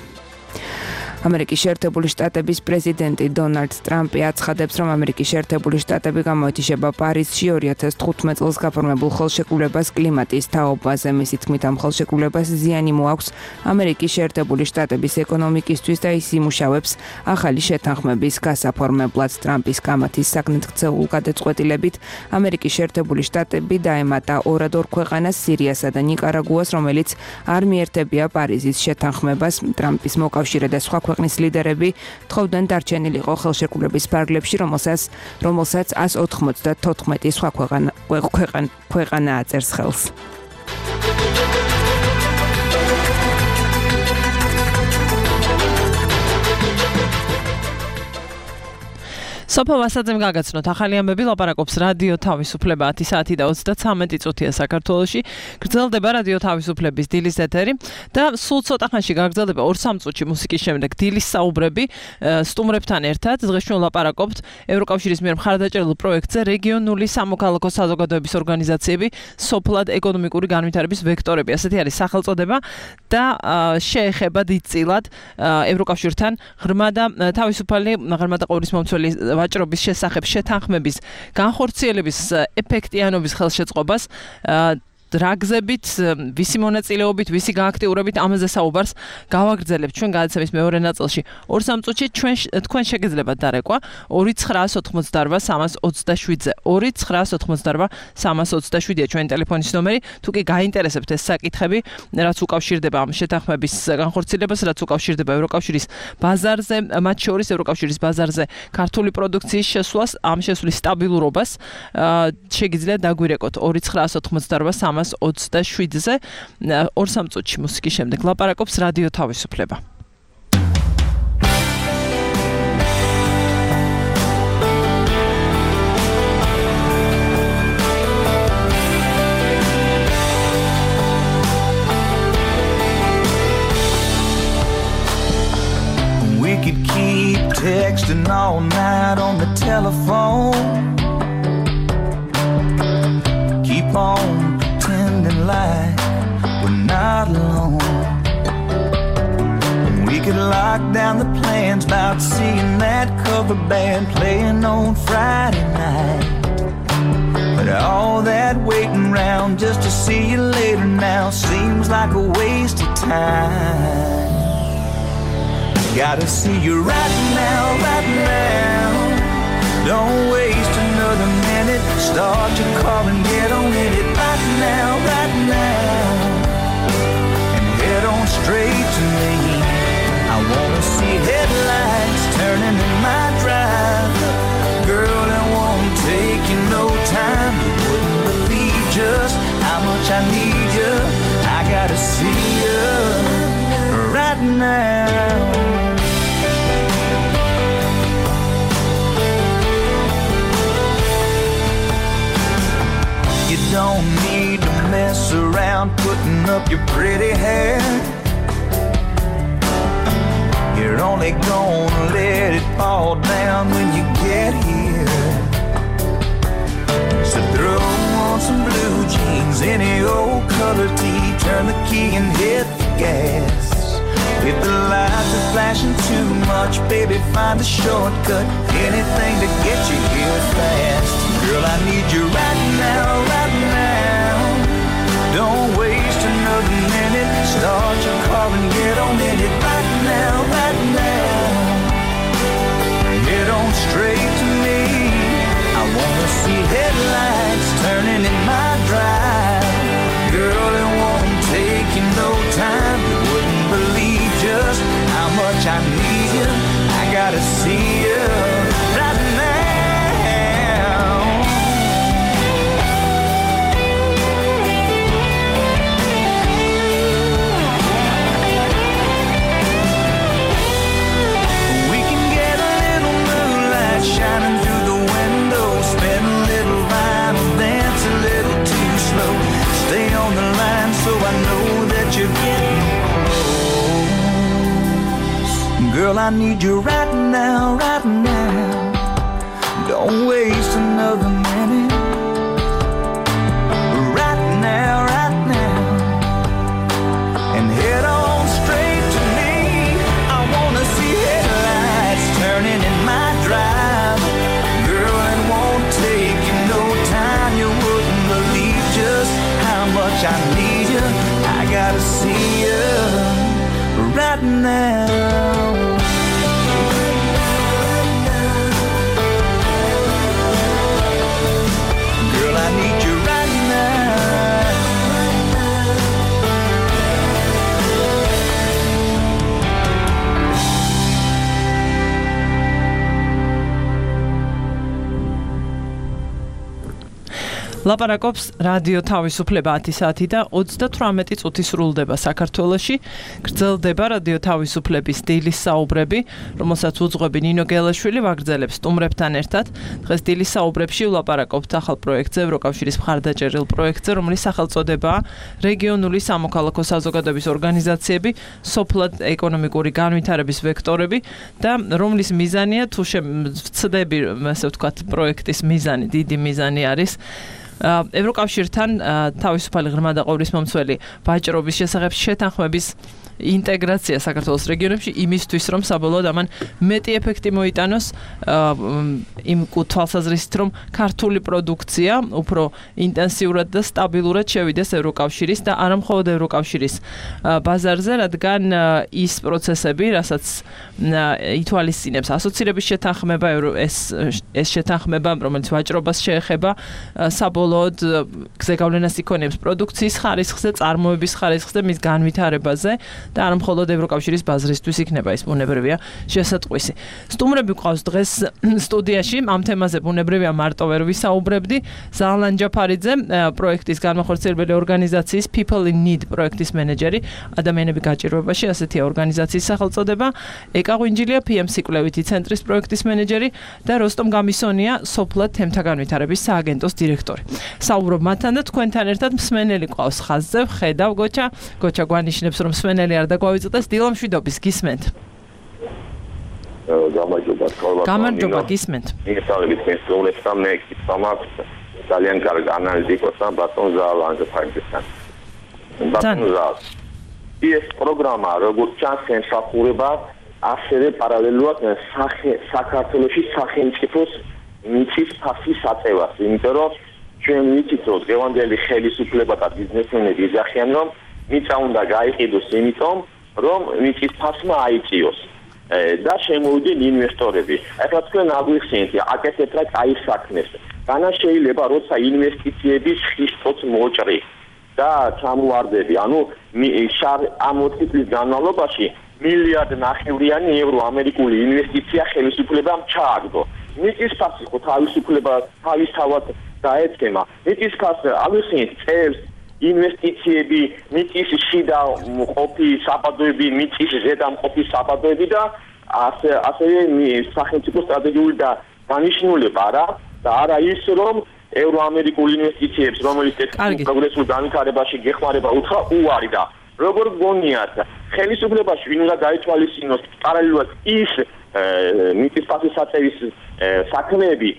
ამერიკის შეერთებული შტატების პრეზიდენტი დონალდ ტრამპი აცხადებს, რომ ამერიკის შეერთებული შტატები გამოეთიშება პარიზში 2015 წელს გაფორმებულ ხელშეკრულებას კლიმატის თაობაზე. მისი თქმით, ამ ხელშეკრულებას ზიანი მოაქვს ამერიკის შეერთებული შტატების ეკონომიკისთვის და ის იმუშავებს ახალი შეთანხმების გასაფორმებლად. ტრამპის კამათის საგნით ქცეულ გადაწყვეტილებით ამერიკის შეერთებული შტატები დაემატა ორად-ორ ქვეყანას, სირიასა და ნიკარაგუას, რომელიც არ მიერთებია პარიზის შეთანხმებას. ტრამპის მოკავშირე და სხვა ქვეყნის ლიდერები თხოვდნენ დარჩენილიყო ხელშეკრულების ფარგლებში, რომელსაც 194 სხვა ქვეყანა აწერს ხელს. სოფო ვასაძემ გაგაცნოთ ახალი ამბები, ლაპარაკობს რადიო თავისუფლება 10 საათი და 33 წუთია საქართველოში. გრძელდება რადიო თავისუფლების დილის ეთერი და სულ ცოტა ხანში გაგრძელდება 2-3 წუთში მუსიკის შემდეგ დილის საუბრები სტუმრებთან ერთად. დღეს ჩვენ ლაპარაკობთ ევროკავშირის მიერ მხარდაჭერილ პროექტზე რეგიონული სამოქალაქო საზოგადოების ორგანიზაციები, სოფლად ეკონომიკური განვითარების ვექტორები. ასეთი არის სახელწოდება და შეეხება დიდწილად ევროკავშირთან ღრმა და თავისუფალი ღრმა და ყოვლისმომცველი ვაჭრობის შესახებ შეთანხმების განხორციელების ეფექტიანობის ხელშეწყობას რაგზებით, ვისი მონაწილეობით, ვისი გააქტიურებით ამაზე საუბარს გავაგრძელებთ ჩვენ გადაცემის მეორე ნაწილში. 2-3 წუთში თქვენ შეგეძლებათ დარეკვა 2988327-ზე 2988327-ია ჩვენი ტელეფონის ნომერი. თუ კი გაინტერესებთ ეს საკითხები, რაც უკავშირდება ამ შეთანხმების განხორციელებას, რაც უკავშირდება ევროკავშირის ბაზარზე, მათ შორის ევროკავშირის ბაზარზე ქართული პროდუქციის შესვლას, ამ შესვლის სტაბილურობას, შეგიძლიათ დაგვირეკოთ 2988327-ზე 2-3 წუთში მუსიკის შემდეგ ლაპარაკობს რადიო თავისუფლება. We could keep texting all night on the telephone. Keep on pretending like we're not alone. lock down the plans about seeing that cover band playing on Friday night. But all that waiting round just to see you later now seems like a waste of time. Gotta see you right now, right now. Don't waste another minute. Start your car and get on in it right now, right now. And head on straight to me. I wanna see headlights turning in my drive. Girl, it won't take you no time. You wouldn't believe just how much I need you. I gotta see you right now. You don't need to mess around putting up your pretty hair. You're only gonna let it fall down when you get here. So throw on some blue jeans, any old color tee, turn the key and hit the gas. If the lights are flashing too much, baby, find a shortcut, anything to get you here fast. Girl, I need you right now, right now. Don't waste another minute. Start your car and get on in it right now, right now. Head on straight to me. I wanna see headlights turning in my drive. Girl, it won't take you no time. You wouldn't believe just how much I need you. I gotta see you right now. Shining through the window, spin a little vinyl, dance a little too slow. Stay on the line so I know that you're getting close. Girl, I need you right now, right now. Don't waste another minute. Right now, right now. And head on straight to me. I wanna see headlights turning in my drive. I need you, I gotta see you right now. Girl, I need you right now. ლაპარაკობს რადიო თავისუფლება 10 საათი და 38 წუთი სრულდება საქართველოში. გრძელდება რადიო თავისუფლების დილის საუბრები, რომელსაც უძღვები ნინო გელაშვილი ვაგრძელებს სტუმრებთან ერთად. დღეს დილის საუბრებში ვლაპარაკობთ ახალ პროექტზე, ევროკავშირის მხარდაჭერილ პროექტზე, რომლის სახელწოდებაა რეგიონული სამოქალაქო საზოგადოების ორგანიზაციები, სოფლად ეკონომიკური განვითარების ვექტორები და რომლის მიზანია თუ ვცდები, ასე ვთქვათ, პროექტის მიზანი, დიდი მიზანი არის ევროკავშირთან თავისუფალი ღრმა და ყოვლისმომცველი ვაჭრობის შესახებ შეთანხმების ინტეგრაცია საქართველოს რეგიონებში იმისთვის, რომ საბოლოოდ ამან მეტი ეფექტი მოიტანოს იმ თვალსაზრისით, რომ ქართული პროდუქცია უფრო ინტენსიურად და სტაბილურად შევიდეს ევროკავშირის და არა მხოლოდ ევროკავშირის ბაზარზე, რადგან ის პროცესები, რასაც ითვალისწინებს ასოცირების შეთანხმება, ეს შეთანხმება, რომელიც ვაჭრობას შეეხება, საბოლოოდ გზეგავლენას იქონიებს პროდუქციის ხარისხზე, წარმოების ხარისხზე, მის განვითარებაზე და არა მხოლოდ ევროკავშირის ბაზრისთვის იქნება ის ბუნებრივია შესატყვისი. სტუმრები გვყავს დღეს სტუდიაში, ამ თემაზე ბუნებრივია მარტო ვერ ვისაუბრებდი. ზალან ჯაფარიძე, პროექტის განმახორციელებელი ორგანიზაციის People in Need პროექტის მენეჯერი, ადამიანები გაჭირვებაში, ასეთია ორგანიზაციის სახელწოდება. ეკა ღვინჯილია, PM სიკვლევითი ცენტრის პროექტის მენეჯერი და როსტომ გამისონია, სოფლად თემთა განვითარების სააგენტოს დირექტორი. საუბრობ მათთან და თქვენთან ერთად მსმენელი ყავს ხაზზე, ხედავ გოჩა გვანიშნებს, რომ მსმენელი არ დაგვავიწყდეს, დილა მშვიდობის, გისმენთ. გამარჯობა, გისმენთ. მიგესალმებით მესწავლებლებს მე კითხვა მაქვს ძალიან კარგი ანალიტიკოსთან ბატონ ზალანძეფარიძესთან. ბატონ ზალ. ეს პროგრამა როგორც ჩანს ემსახურება ასევე პარალელურად საქართველოში სახელმწიფოს მიწის ფასის აწევას, იმიტომ რომ ჩვენ ვიცით, რომ დღევანდელი ხელისუფლება და ბიზნესმენები იძახიან, რომ მიწა უნდა გაიყიდოს იმიტომ, რომ მიწის ფასმა აიწიოს და შემოვიდნენ ინვესტორები. ახლა თქვენ აღვიხსენეთ, აკეთეთ რა კაი საქმეს. განა შეიძლება როცა ინვესტიციების ხისტოც მოჭრი და ჩამოواردები, ანუ ამ 4 წლის განმავლობაში მილიარდ ნახევრიანი ევრო ამერიკული ინვესტიცია ხელისუფლებამ ჩააგდო. მიწის ფასი ხო თავისუფლება თავისთავად დაეცემა. მიწის ფასი აღვიხსენეთ წელს ინვესტიციები, მიწის შიდა მყოფი საბადოები, მიწის ზედა მყოფი საბადოები და ასევე სახელმწიფო სტრატეგიული და დანიშნულება რა და არა ის რომ ევროამერიკულ ინვესტიციებს რომელიც პროგრესულ განვითარებაში გეხმარება უთხრა უარი და როგორ გონიათ ხელისუფლებაში ვინ უნდა გაითვალისწინოს პარალელურად ის მიწის ფასის აწევის საქმეები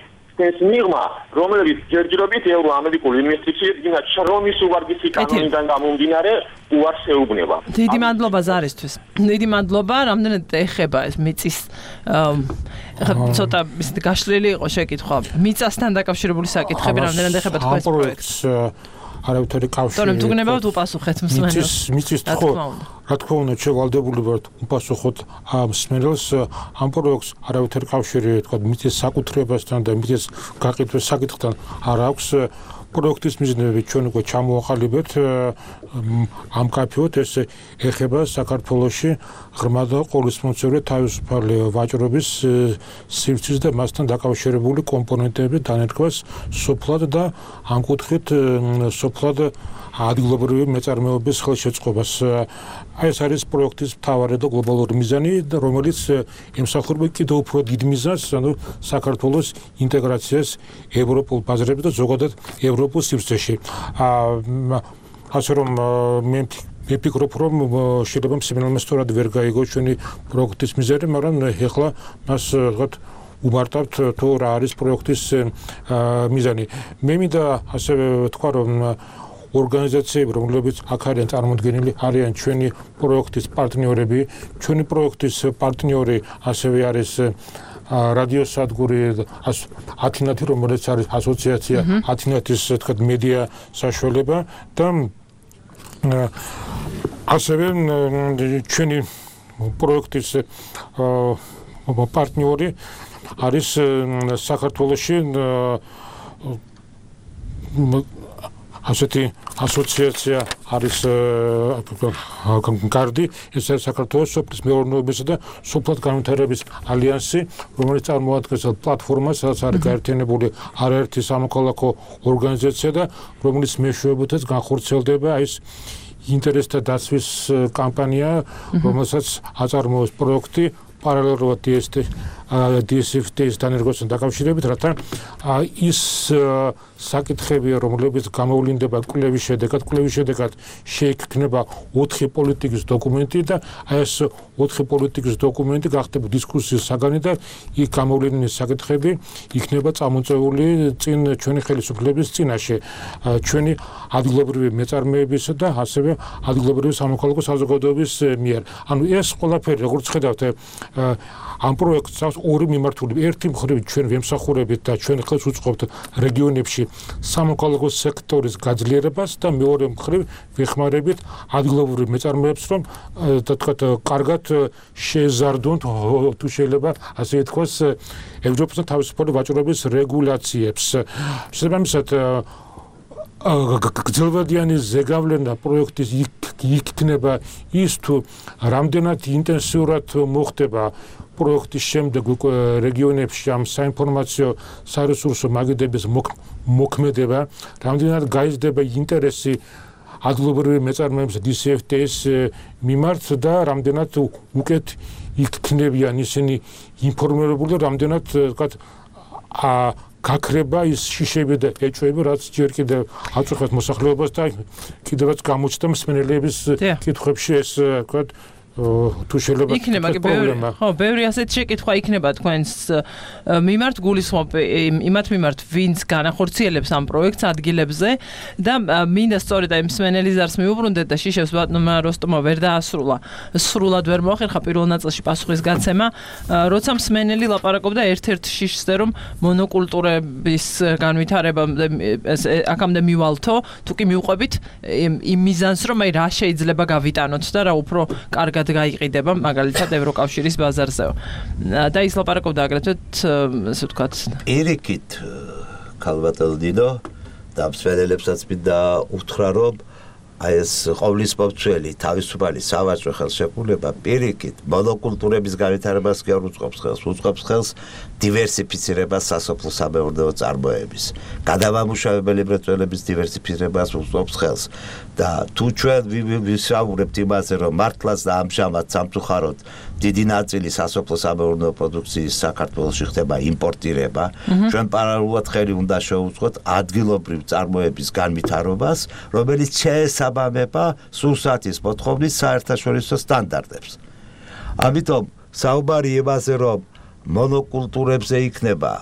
ეს მიღმა რომელიც ჯერჯერობით ევროამერიკულ ინვესტიციებს გინდა შრომის უვარგისი კანონიდან გამომდინარე უარს ეუბნება. დიდი მადლობა ზარისთვის. დიდი მადლობა, რამდენად ეხება ეს მიწის ცოტა ისეთი გაშლილი იყო შეკითხვა. მიწასთან დაკავშირებული საკითხები რამდენად ეხება თქვენს პროექტს? არავითარი კავშირი. თორემ თუ გნებავთ უპასუხეთ მსმენელს. მიწის ხო, რა თქმა უნდა, შევალდებული ვართ უპასუხოთ მსმენელს ამ პროექტს არავითარი კავშირი, თქვა მიწის საკუთრებასთან და მიწის გაყიდვის საკითხთან არ აქვს. პროექტის მიზნები ჩვენ უკვე ჩამოვაყალიბეთ ამ კაფეოთ ეს ეხება საქართველოში ღრმა და ყოვლისმომცემლე თავისუფალი ვაჭრობის სივრცის და მასთან დაკავშირებული კომპონენტების დანერგვას სოფლად და ამ კუთხით სოფლად ადგილობრივი მეწარმეობის ხელშეწყობას. ეს არის პროექტის მთავარი და გლობალური მიზანი, რომელიც ემსახურება კიდევ უფრო დიდ მიზანს, ანუ საქართველოს ინტეგრაციას ევროპულ ბაზრებში და ზოგადად ევროპულ სივრცეში. ასე რომ მე ვფიქრობ, რომ შეიძლება მსმენელმა სწორად ვერ გაიგო ჩვენი პროექტის მიზანი, მაგრამ ეხლა მას ვთქვათ უბარტავთ თუ რა არის პროექტის მიზანი. მე მინდა ასევე ვთქვა, რომ ორგანიზაციები, რომლებიც აქ არიან წარმოდგენილი, არიან ჩვენი პროექტის პარტნიორები. ჩვენი პროექტის პარტნიორი ასევე არის რადიოსადგური ათინათი, რომელიც არის ასოციაცია ათინათის თქვათ მედია საშუალება და ასევე ჩვენი პროექტის პარტნიორი არის საქართველოში ასეთი ასოციაცია არის გარდი, ეს არის საქართველოს სოფლის მეურნეობისა და სოფლად განვითარების ალიანსი, რომელიც წარმოადგენს პლატფორმას, სადაც არის გაერთიანებული არაერთი სამოქალაქო ორგანიზაცია და რომელიც მეშვეობითაც განხორციელდება ეს ინტერესთა დაცვის კამპანია, რომელსაც აწარმოებს პროექტი პარალელურად DSFT-ის დანერგვასთან დაკავშირებით, რათა ის საკითხები, რომლებიც გამოვლინდება კვლევის შედეგად შეიქმნება 4 პოლიტიკის დოკუმენტი და ეს 4 პოლიტიკის დოკუმენტი გახდება დისკუსიის საგანი და იქ გამოვლინებული საკითხები იქნება წამოწეული წინ ჩვენი ხელისუფლების წინაშე, ჩვენი ადგილობრივი მეწარმეებისა და ასევე ადგილობრივი სამოქალაქო საზოგადოების მიერ. ანუ ეს ყველაფერი, როგორც ხედავთ, ამ პროექტს აქვს ორი მიმართულება. ერთი მხრივ ჩვენ ვემსახურებით და ჩვენ ხელს უწყობთ რეგიონებში სამოქალაქო სექტორის გაძლიერებას და მეორე მხრივ ვეხმარებით ადგილობრივ მეწარმეებს, რომ თქვათ კარგად შეეზარდონ თუ შეიძლება ასე ითქვას ევროპის თავისუფალი ვაჭრობის რეგულაციებს. შესაბამისად გრძელვადიანი ზეგავლენა პროექტის იქნება ის თუ რამდენად ინტენსიურად მოხდება პროექტის შემდეგ რეგიონებში ამ საინფორმაციო სარესურსო მაგიდების მოქმედება, რამდენად გაიზრდება ინტერესი ადგილობრივი მეწარმეების DCFT-ის მიმართ და რამდენად უკეთ იქნებიან ისინი ინფორმირებული და რამდენად ვთქვათ გაქრება ის შიშები და ეჭვები, რაც ჯერ კიდევ აწუხებს მოსახლეობას და კიდევაც გამოჩნდა მსმენელების კითხვებში ეს ვთქვათ თუ შეიძლება იქნება პრობლემა. ხო, ბევრი ასეთი შეკითხვა იქნება თქვენს მიმართ გულისხმობ იმათ მიმართ, ვინც განახორციელებს ამ პროექტს ადგილებზე და მინდა სწორედ აი მსმენელი ზარს მიუბრუნდეთ და შიშევს ბატონმა როსტომმა ვერ დაასრულა. სრულად ვერ მოახერხა პირველ ნაწილში პასუხის გაცემა, როცა მსმენელი ლაპარაკობდა ერთ-ერთ შიშზე, რომ მონოკულტურების განვითარება აქამდე მივალთო, თუ კი მიუყვებით იმ მიზანს, რომ აი რა შეიძლება გავიტანოთ და რა უფრო კარგად გაიყიდება მაგალითად ევროკავშირის ბაზარზეო. და ის ლაპარაკობდა აგრეთვე ასე ვთქვათ. პირიქით ქალბატონო დინო და მსმენელებსაც მინდა უთხრა, რომ აი ეს ყოვლის მომცველი თავისუფალი სავაჭრო ხელშეკრულება პირიქით მონოკულტურების განვითარებას კი არ უწყობს ხელს დივერსიფიცირებას სასოფლო-სამეურნეო წარმოების, გადამამუშავებელი მრეწველობის დივერსიფიცირებას უწყობს ხელს და თუ ჩვენ ვისაუბრებთ იმაზე, რომ მართლაც და ამჟამად სამწუხაროდ დიდი ნაწილი სასოფლო-სამეურნეო პროდუქციის საქართველოში ხდება იმპორტირება, ჩვენ პარალელურად ხელი უნდა შევუწყოთ ადგილობრივ წარმოების განვითარებას, რომელიც შეესაბამება სურსათის მოთხოვნის საერთაშორისო სტანდარტებს. ამიტომ საუბარი იმაზე, რომ მონოკულტურებზე იქნება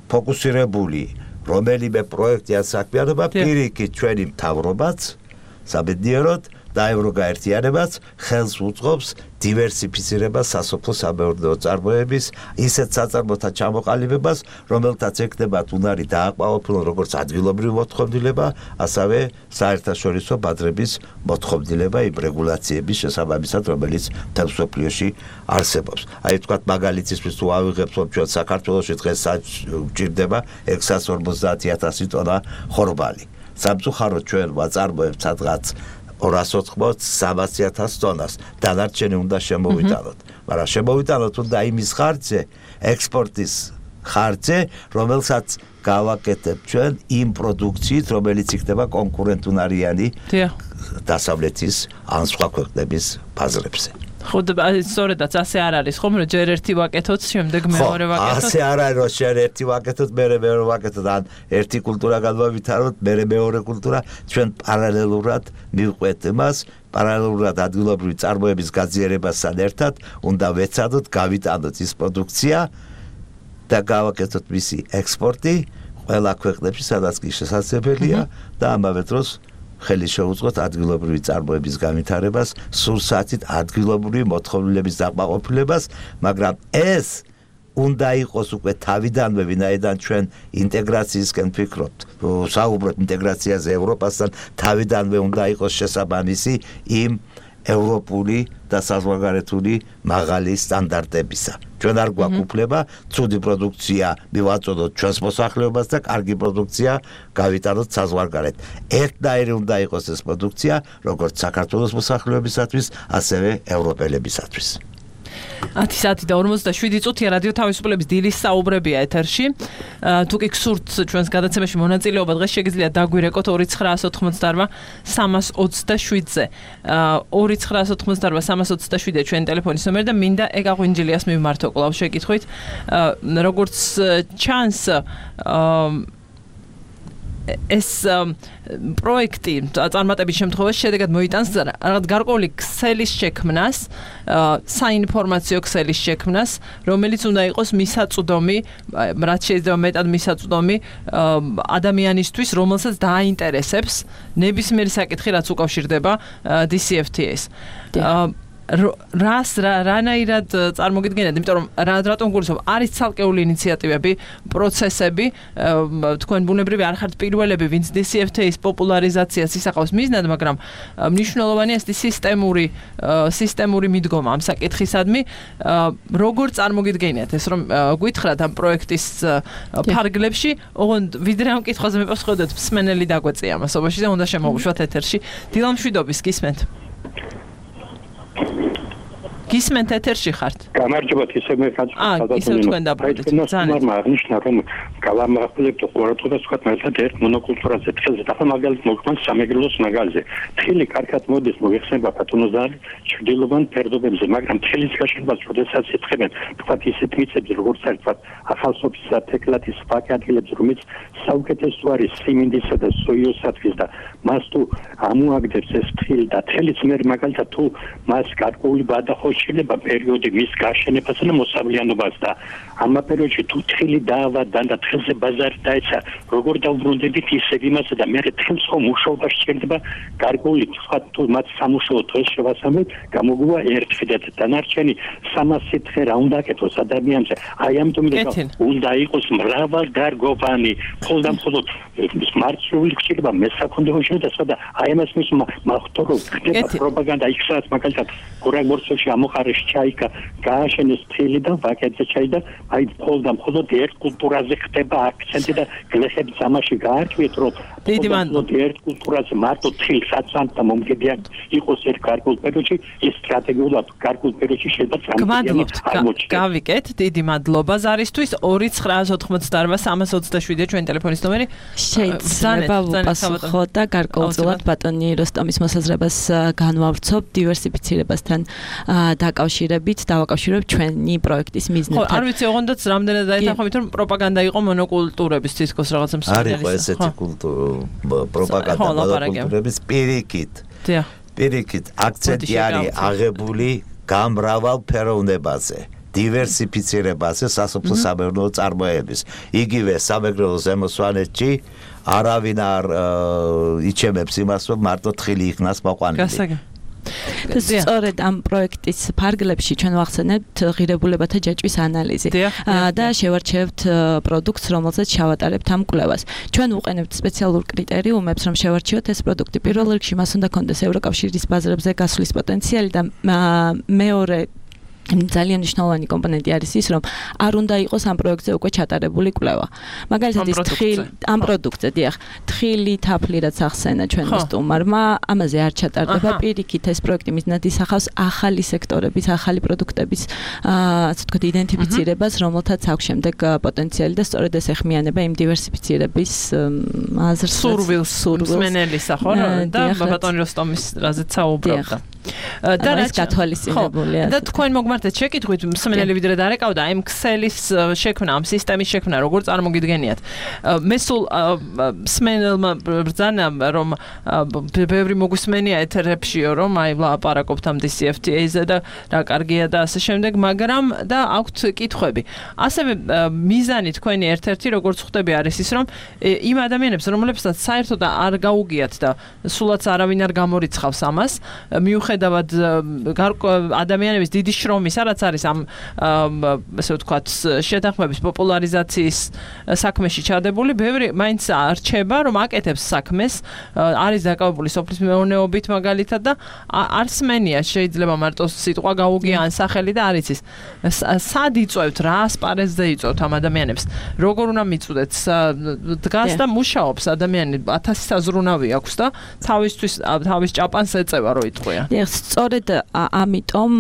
ფოკუსირებული რომელიმე პროექტი ან საქმიანობა, პირიქით ჩვენი მთავრობაც საბედნიეროდ და ევროგაერთიანებაც ხელს უწყობს დივერსიფიცირებას სასოფლო-სამეურნეო წარმოების ისეთ საწარმოთა ჩამოყალიბებას, რომელთაც ექნებათ უნარი დააკმაყოფილონ როგორც ადგილობრივი მოთხოვნილება, ასევე საერთაშორისო ბაზრების მოთხოვნილება იმ რეგულაციების შესაბამისად, რომელიც მთელ მსოფლიოში არსებობს. აი თქვათ მაგალითისთვის თუ ავიღებთ, რომ ჩვენ საქართველოში დღეს გვჭირდება 650,000 ტონა ხორბალი. სამწუხაროდ ჩვენ ვაწარმოებთ სადღაც 280-300,000 ტონას, დანარჩენი უნდა შემოვიტანოთ. მაგრამ შემოვიტანოთ უნდა იმის ხარჯზე, ექსპორტის ხარჯზე, რომელსაც გავაკეთებთ ჩვენ იმ პროდუქციით, რომელიც იქნება კონკურენტუნარიანი დასავლეთის ან სხვა ქვეყნების ბაზრებზე. ხო, სწორედაც ასე არ არის, ხომ, რომ ჯერ ერთი ვაკეთოთ, შემდეგ მეორე ვაკეთოთ. ასე არ არის, რომ ჯერ ერთი ვაკეთოთ, მეორე ვაკეთოთ, ან ერთი კულტურა გადმოვითაროთ, მეორე კულტურა, ჩვენ პარალელურად მივყვეთ იმას, პარალელურად ადგილობრივი წარმოების გაძლიერებასთან ერთად უნდა ვეცადოთ, გავიტანოთ ის პროდუქცია და გავაკეთოთ მისი ექსპორტი ყველა ქვეყნებში, სადაც კი შესაძლებელია და ამავე დროს ხელი შეუწყოთ ადგილობრივი წარმოების განვითარებას, სურსათით ადგილობრივი მოთხოვნილების დაკმაყოფილებას, მაგრამ ეს უნდა იყოს უკვე თავიდანვე, ვინაიდან ჩვენ ინტეგრაციისკენ ვფიქრობთ, საუბრობთ ინტეგრაციაზე ევროპასთან, თავიდანვე უნდა იყოს შესაბამისი იმ ევროპული და საზღვარგარეთული მაღალი სტანდარტებისა. ჩვენ არ გვაქვს უფლება ცუდი პროდუქცია მივაწოდოთ ჩვენს მოსახლეობას და კარგი პროდუქცია გავიტანოთ საზღვარგარეთ. ერთნაირი უნდა იყოს ეს პროდუქცია, როგორც საქართველოს მოსახლეობისათვის, ასევე ევროპელებისათვის. 10:47 წუთია რადიო თავისუფლების დილის საუბრებია ეთერში. თუ კი გსურთ ჩვენს გადაცემაში მონაწილეობა, დღეს შეგიძლიათ დაგვირეკოთ 2988-327-ზე. 2988-327 ჩვენი ტელეფონის ნომერი და მინდა ეკაღვინჯილიას მივმართო კვლავ შეკითხვით. როგორც ჩანს, ეს პროექტი წარმატების შემთხვევაში შედეგად მოიტანს რაღაც გარკვეული ქსელის შექმნას, საინფორმაციო ქსელის შექმნას, რომელიც უნდა იყოს მისაწვდომი, რაც შეიძლება მეტად მისაწვდომი ადამიანისთვის, რომელსაც დააინტერესებს ნებისმიერი საკითხი, რაც უკავშირდება DCFTA-ს. რანაირად წარმოგიდგენიათ, იმიტომ რომ რატომ გულისხმობ, არის ცალკეული ინიციატივები, პროცესები, თქვენ ბუნებრივი არ ხართ პირველები, ვინც DCFTA-ის პოპულარიზაციას ისახავს მიზნად, მაგრამ მნიშვნელოვანია ეს სისტემური მიდგომა ამ საკითხისადმი. როგორ წარმოგიდგენიათ ეს, რომ გითხრათ ამ პროექტის ფარგლებში, ოღონდ ვიდრე ამ კითხვაზე მეპასუხებდეთ, მსმენელი დაგვეწია ამასობაში და უნდა შემოვუშვათ ეთერში. დილამშვიდობის, გისმენთ. გისმენთ ეთერში ხართ? გამარჯობათ, ისე მე ისე თქვენ დაბრუნდით. ძალიან აღნიშნა რომ გავამახვილებთ ყურადღებას თქვა მაგალითად ერთ მონოკულტურაზე თხილზე და მაგალითად მოგვიყვანს სამეგრელოს მაგალზე. თხილი კარგად მოდის მოიხსნება ბატონოზარი ჩრდილოვან ფერდობებზე, მაგრამ თხილის გაშენებას როდესაც ეთქებენ, თქვა ისეთ მიწებზე როგორც არის თქვა ახალსოფისა თეკლათის ფაკადილებს, რომელიც საუკეთესო არის სიმინდისა და სოიოსათვის და მას თუ ამოაგდებს ეს თხილი და თხილიც მე მაგალითად თუ მას გარკვეული ბადახოშილება პერიოდი მის გაშენებას და მოსავლიანობას და ამ პერიოდში თუ თხილი დაავადდა და თხილზე ბაზარი დაეცა, როგორ დავბრუნდებით ისევ იმასა და მე თხილს ხომ მუშაობა შეიძლება გარკვეული თქვა თუ მათ სამუშაო დღეს შევასწავლეთ, გამოგვივა ერთი და დანარჩენი 300 თხე რა უნდა აკეთოს ადამიანზე. აი ამიტომ უნდა იყოს მრავალდარგოვანი, მხოლოდ მარცვლეული ხშირება მესაქონლეო შეიძლება და აი ამას მის მახტორო ხდება პროპაგანდა იქსაც მაგალითად გორაგორცოში ამოყარეს ჩაიკა გააშენეს თხილი და ვაკეთე ჩაი და აი მხოლოდ ერთ კულტურაზე ხდება აქცენტი და გლეხები ამაში გაარკვიეთ რომ მხოლოდ ერთ კულტურაზე მარტო თხილს აცანთ და მომგებიან იყოს ერთ გარკვეულ პერიოდში ეს სტრატეგიულად გარკვეულ პერიოდში შეიძლება გმადლობთ გავიკეთ დიდი მადლობა ზარისთვის 2988327 ჩვენი ტელეფონის ნომერი შეიძლება ვუპასუხო და გარკვეულწილად ბატონი როსტომის მოსაზრებას განვავრცობ დივერსიფიცირებასთან დაკავშირებით დავაკავშირებ ჩვენი პროექტის მიზნებთან. ხო, არ ვიცი, ოღონდაც რამდენად დაეთანხმებით რომ პროპაგანდა იყო მონოკულტურების თითქოს რაღაცა მსხვილი. არის ესეთი პროპაგანდა მონოკულტურების პირიქით. პირიქით აქცენტი არის აღებული გამრავალ ფეროვნებაზე. დივერსიფიცირებაზე სასოფლო სამეურნეო წარმოების. იგივე სამეგრელო ზემო სვანეთში არავინ არ იჩემებს იმას, რომ მარტო თხილი იქნას მოყვანილი. სწორედ ამ პროექტის ფარგლებში ჩვენ ვახსენებთ ღირებულებათა ჯაჭვის ანალიზი და შევარჩევთ პროდუქტს, რომელზეც შევატარებთ ამ კვლევას. ჩვენ ვუყენებთ სპეციალურ კრიტერიუმებს, რომ შევარჩიოთ ეს პროდუქტი. პირველ რიგში მას უნდა კონდეს ევროკავშირის ბაზრებზე გასვლის პოტენციალი და მეორე ძალიან მნიშვნელოვანი კომპონენტი არის ის, რომ არ უნდა იყოს ამ პროექტზე უკვე ჩატარებული კვლევა. მაგალითად ის ამ პროდუქტზე, დიახ, თხილი თაფლი რაც ახსენა ჩვენმა სტუმარმა, ამაზე არ ჩატარდება პირიქით ეს პროექტი მიზნად ისახავს ახალი სექტორების, ახალი პროდუქტების, ასე ვთქვათ, იდენტიფიცირებას, რომელთაც აქვს შემდეგ პოტენციალი და სწორედ ეს ეხმიანება იმ დივერსიფიცირების აზრს, სურვილს, მსმენელისა, ხო? და ბატონი როსტომის რაზეც საუბრობდა. და რაც გათვალისწინებულია. და თქვენ მოგმართეთ შეკითხვით მსმენელი ვიდრე დარეკავდა ამ ქსელის შექმნა, ამ სისტემის შექმნა, როგორ წარმოგიდგენიათ. მე სულ მსმენელმა ბრძანა რომ ბევრი მოგვისმენია ეთერებშიო რომ აი ლაპარაკობთ ამ DCFTA-ზე და რა კარგია და ასე შემდეგ, მაგრამ და აქვთ კითხვები. ასევე მიზანი თქვენი ერთ-ერთი როგორც ხვდები არის ის რომ იმ ადამიანებს რომლებსაც საერთოდ არ გაუგიათ და სულაც არავინ არ გამორიცხავს ამას, მიუხედავად ადამიანების დიდი შრომის, რაც არის ამ ასე ვთქვათ შეთანხმების პოპულარიზაციის საქმეში ჩადებული, ბევრი მაინც არჩება რომ აკეთებს საქმეს, არის დაკავებული სოფლის მეურნეობით მაგალითად და არ სმენია შეიძლება მარტო სიტყვა გაუგია ან სახელი და არ იცის. სად იწვევთ, რა ასპარეზზე იწვევთ ამ ადამიანებს? როგორ უნდა მიწვდეთ? დგას და მუშაობს ადამიანი 1000 საზრუნავი აქვს და თავის ჭაპანს ეწევა რო იტყვია. სწორედ ამიტომ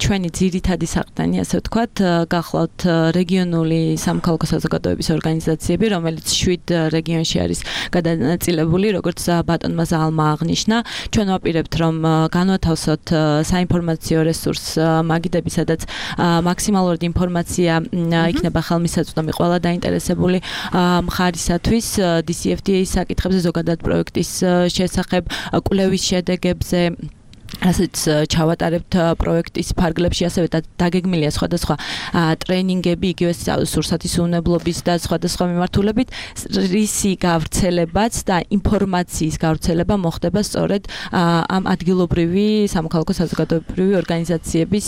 ჩვენი ძირითადი საყრდენი, ასე ვთქვათ, გახლავთ რეგიონული სამოქალაქო საზოგადოების ორგანიზაციები, რომელიც 7 რეგიონში არის გადანაწილებული, როგორც ბატონმა ზალმა აღნიშნა. ჩვენ ვაპირებთ, რომ განვათავსოთ საინფორმაციო რესურს მაგიდები, სადაც მაქსიმალურად ინფორმაცია იქნება ხელმისაწვდომი ყველა დაინტერესებული მხარისათვის DCFTA-ის საკითხებზე, ზოგადად პროექტის შესახებ, კვლევის შედეგებზე, ასეც ჩავატარებთ პროექტის ფარგლებში, ასევე დაგეგმილია სხვადასხვა ტრენინგები, იგივე სურსათის უნებლობის და სხვადასხვა მიმართულებით, რისი გავრცელებაც და ინფორმაციის გავრცელება მოხდება სწორედ ამ ადგილობრივი სამოქალაქო საზოგადოებრივი ორგანიზაციების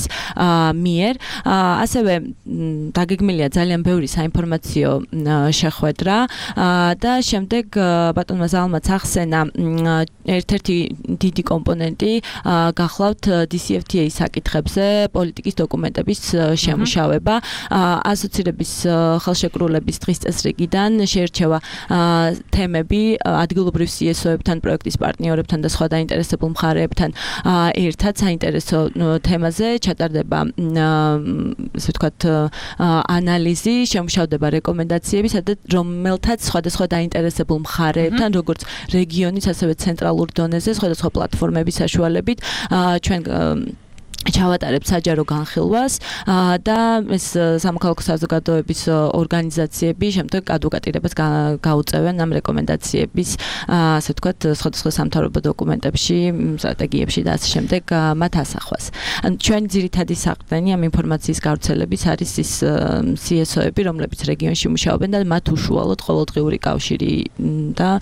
მიერ. ასევე დაგეგმილია ძალიან ბევრი საინფორმაციო შეხვედრა და შემდეგ ბატონმა ზალმაც ახსენა ერთ-ერთი დიდი კომპონენტი გახლავთ DCFTA-ის საკითხებზე პოლიტიკის დოკუმენტების შემუშავება. ასოცირების ხელშეკრულების დღის წესრიგიდან შეირჩევა თემები ადგილობრივ CSO-ებთან, პროექტის პარტნიორებთან და სხვა დაინტერესებულ მხარეებთან ერთად საინტერესო თემაზე ჩატარდება ასე ვთქვათ ანალიზი, შემუშავდება რეკომენდაციები, სადაც რომელთაც სხვადასხვა დაინტერესებულ მხარეებთან, როგორც რეგიონის, ასევე ცენტრალურ დონეზე, სხვადასხვა პლატფორმების საშუალებით ჩვენ ჩავატარებთ საჯარო განხილვას და ეს სამოქალაქო საზოგადოების ორგანიზაციები შემდეგ ადვოკატირებას გაუწევენ ამ რეკომენდაციების ასე ვთქვათ სხვადასხვა სამთავრობო დოკუმენტებში, სტრატეგიებში და ასე შემდეგ მათ ასახვას. ჩვენი ძირითადი საყრდენი ამ ინფორმაციის გავრცელების არის ის CSO-ები, რომლებიც რეგიონში მუშაობენ და მათ უშუალოდ ყოველდღიური კავშირი და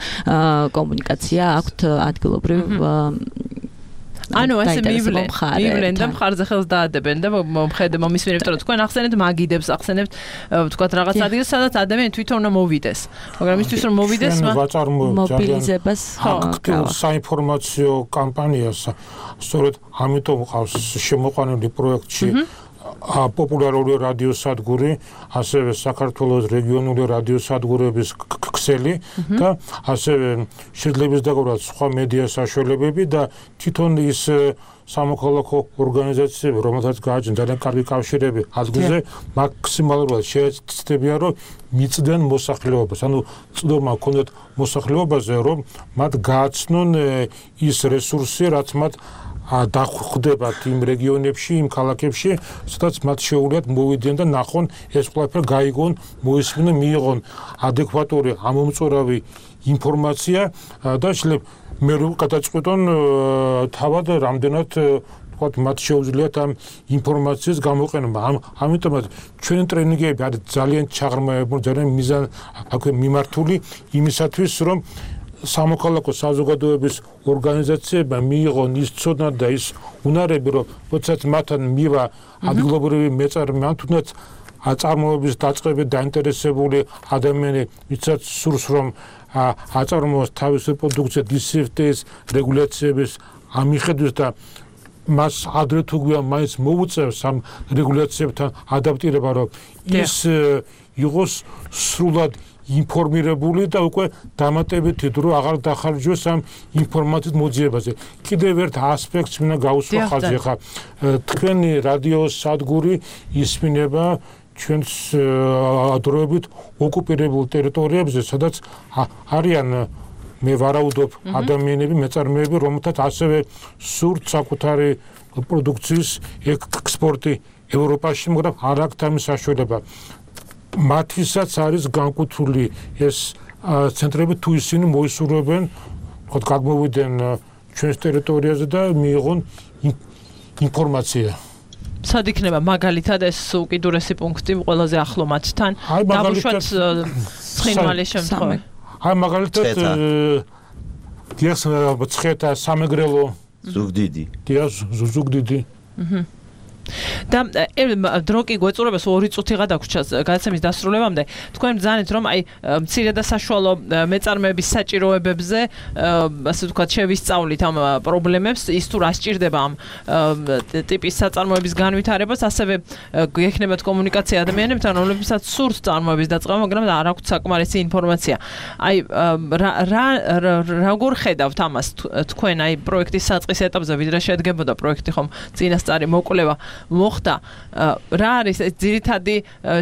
კომუნიკაცია აქვთ ადგილობრივ ანუ ესე მივლენ და მხარზე ხელს დაადებენ და მომისმენებთ რომ თქვენ ახსენებთ მაგიდებს, ახსენებთ ვთქვათ რაღაც ადგილს, სადაც ადამიანი თვითონ უნდა მოვიდეს. მაგრამ იმისთვის რომ მოვიდეს, მობილიზებას აქტიურ საინფორმაციო კამპანიას, სწორედ ამიტომ ყავს შემოყვანილი პროექტში პოპულარული რადიოსადგური, ასევე საქართველოს რეგიონული რადიოსადგურების ქსელი და ასევე შეძლებლის დაგვრად სხვა მედია საშუალებები და თვითონ ის სამოქალაქო ორგანიზაციები, რომელთაც გააჩნია ძალიან კარგი კავშირები ადგილზე, მაქსიმალურად შეეცდებიან, რომ მიწდნენ მოსახლეობას. ანუ წვდომა ჰქონდათ მოსახლეობაზე, რომ მათ გააცნონ ის რესურსი, რაც მათ დახვდებათ იმ რეგიონებში, იმ ქალაქებში, სადაც მათ შეუძლიათ მოვიდნენ და ნახონ ეს ყველაფერი გაიგონ, მოისმინონ, მიიღონ ადეკვატური ამომწურავი ინფორმაცია და შეიძლება მე რო გადაწყვეტონ თავად რამდენად ვთქვათ მათ შეუძლიათ ამ ინფორმაციის გამოყენება. ამიტომაც ჩვენი ტრენინგები არის ძალიან ჩაღრმავებული, ძალიან მიმართული იმისათვის, რომ სამოქალაქო საზოგადოების ორგანიზაციებმა მიიღონ ის ცოდნა და ის უნარები, რომ როდესაც მათთან მივა ადგილობრივი მეწარმე, ან თუნდაც აწარმოების დაწყებით დაინტერესებული ადამიანი, ვისაც სურს რომ აწარმოოს თავისი პროდუქცია DCFTA-ის რეგულაციების ამიხედვის და მას ადრე თუ გვიან მაინც მოუწევს ამ რეგულაციებთან ადაპტირება, რომ ის იყოს სრულად ინფორმირებული და უკვე დამატებითი დრო აღარ დახარჯოს ამ ინფორმაციის მოძიებაზე. კიდევ ერთ ასპექტს მინდა გაუსვა ხაზი, ხა თქვენი რადიოს სადგური ისმინება ჩვენს დროებით ოკუპირებულ ტერიტორიებზე, სადაც არიან მე ვარაუდობ ადამიანები, მეწარმეები, რომელთაც ასევე სურთ საკუთარი პროდუქციის ექსპორტი ევროპაში, მაგრამ არ აქვს ამის საშუალება. მათთვისაც არის განკუთვნილი ეს ცენტრები, თუ ისინი მოისურვებენ, თქო გამოვიდნენ ჩვენს ტერიტორიაზე და მიიღონ ინფორმაცია. სად იქნება მაგალითად ეს უკიდურესი პუნქტი ყველაზე ახლო მათთან? დავუშვათ ცხინვალის შემთხვევაში. აი მაგალითად დიახ, ცხეთა სამეგრელო ზუგდიდი. დიახ, ზუგდიდი. და დრო კი გვეწურებას 2 წუთი გადაგვრჩა გადაცემის დასრულებამდე. თქვენ ბრძანეთ რომ აი მცირე და საშუალო მეწარმეების საჭიროებებზე ასე ვთქვათ შევისწავლით ამ პრობლემებს, ის თუ რა სჭირდება ამ ტიპის საწარმოების განვითარებას, ასევე გექნებათ კომუნიკაცია ადამიანებთან, რომლებსაც სურთ წარმოების დაწყება, მაგრამ არ აქვთ საკმარისი ინფორმაცია. აი როგორ ხედავთ ამას თქვენ აი პროექტის საწყის ეტაპზე, ვიდრე შედგებოდა პროექტი, ხომ წინასწარი მოკვლევა მოხდა, რა არის ძირითადი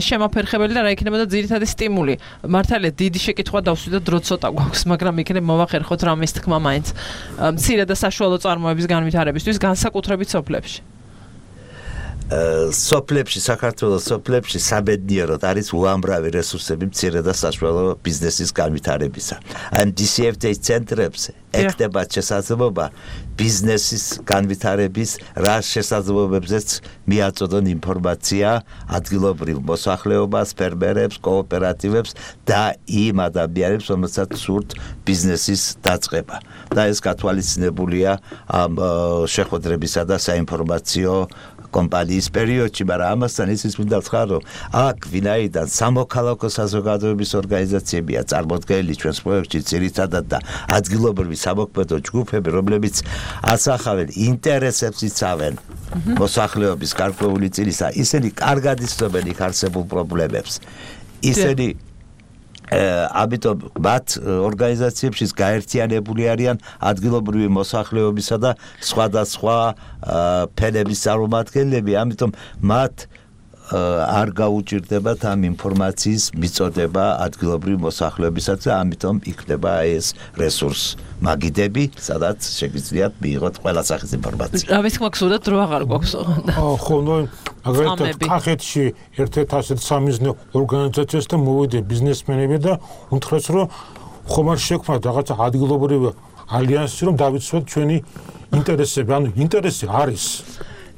შემაფერხებელი და რა იქნებოდა ძირითადი სტიმული? მართალია დიდი შეკითხვა დავსვით და დრო ცოტა გვაქვს, მაგრამ იქნებ მოვახერხოთ რამის თქმა მაინც მცირე და საშუალო წარმოების განვითარებისთვის, განსაკუთრებით სოფლებში. სოფლებში, საქართველოს სოფლებში საბედნიეროდ არის უამრავი რესურსები მცირე და საშუალო ბიზნესის განვითარებისა. ან DCFTA ცენტრებს ეკდება შესაძლებლობა ბიზნესის განვითარების რა შესაძლებლობებზეც მიაწოდონ ინფორმაცია ადგილობრივ მოსახლეობას, ფერმერებს, კოოპერატივებს და იმ ადამიანებს, რომელსაც სურთ ბიზნესის დაწყება. და ეს გათვალისწინებულია ამ შეხვედრებისა და საინფორმაციო კომპანიის პერიოდში, მაგრამ ამასთან ისიც მინდა ვთქვა, რომ აქ ვინაიდან სამოქალაქო საზოგადოების ორგანიზაციებია წარმოდგენილი ჩვენს პროექტში ძირითადად და ადგილობრივი სამოქმედო ჯგუფები, რომლებიც ასახავენ ინტერესებს იცავენ მოსახლეობის გარკვეული წილისა, ისინი კარგად იცნობენ იქ არსებულ პრობლემებს. ისინი ამიტომ მათ ორგანიზაციებში გაერთიანებული არიან ადგილობრივი მოსახლეობისა და სხვადასხვა ფენების წარმომადგენლები, ამიტომ მათ არ გაუჭირდებათ ამ ინფორმაციის მიწოდება ადგილობრივი მოსახლეობისათვის და ამიტომ იქნება ეს რესურს მაგიდები, სადაც შეგიძლიათ მიიღოთ ყველა სახის ინფორმაცია. რა თქმა უნდა, დრო აღარ გვაქვს. ხო, ნუ მაგალითად კახეთში ერთ-ერთ ასეთ სამიზნე ორგანიზაციას და მოვიდა ბიზნესმენები და უთხრეს, რომ ხომ არ შექმნათ რაღაცა ადგილობრივი ალიანსი, რომ დავიცვათ ჩვენი ინტერესები, ანუ ინტერესი არის.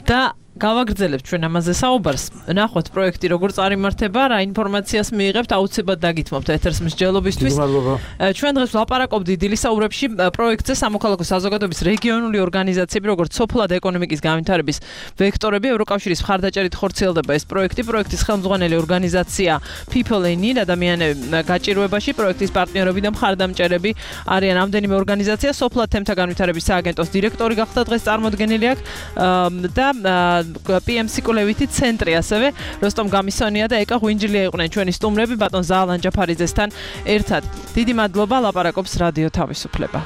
და გავაგრძელებთ ჩვენ ამაზე საუბარს. ნახოთ პროექტი როგორ წარიმართება, რა ინფორმაციას მიიღებთ, აუცილებლად დაგითმობთ ეთერს მსჯელობისთვის. ჩვენ დღეს ვლაპარაკობთ დილისაურებში პროექტზე სამოქალაქო საზოგადოების რეგიონული ორგანიზაციები, როგორც სოფლად ეკონომიკის განვითარების ვექტორები, ევროკავშირის მხარდაჭერით ხორციელდება ეს პროექტი. პროექტის ხელმძღვანელი ორგანიზაცია People in Need, ადამიანები გაჭირვებაში, პროექტის პარტნიორები და მხარდამჭერები არიან რამდენიმე ორგანიზაცია, სოფლად თემთა განვითარების სააგენტოს დირექტორი გახდა დღეს წარმოდგენილი აქ და PMC კულევითი ცენტრი ასევე როსტომ გამისონია და ეკა ღვინჯლია იყვნენ ჩვენი სტუმრები ბატონ ზაალან ჯაფარიძესთან ერთად. დიდი მადლობა, ლაპარაკობს რადიო თავისუფლება.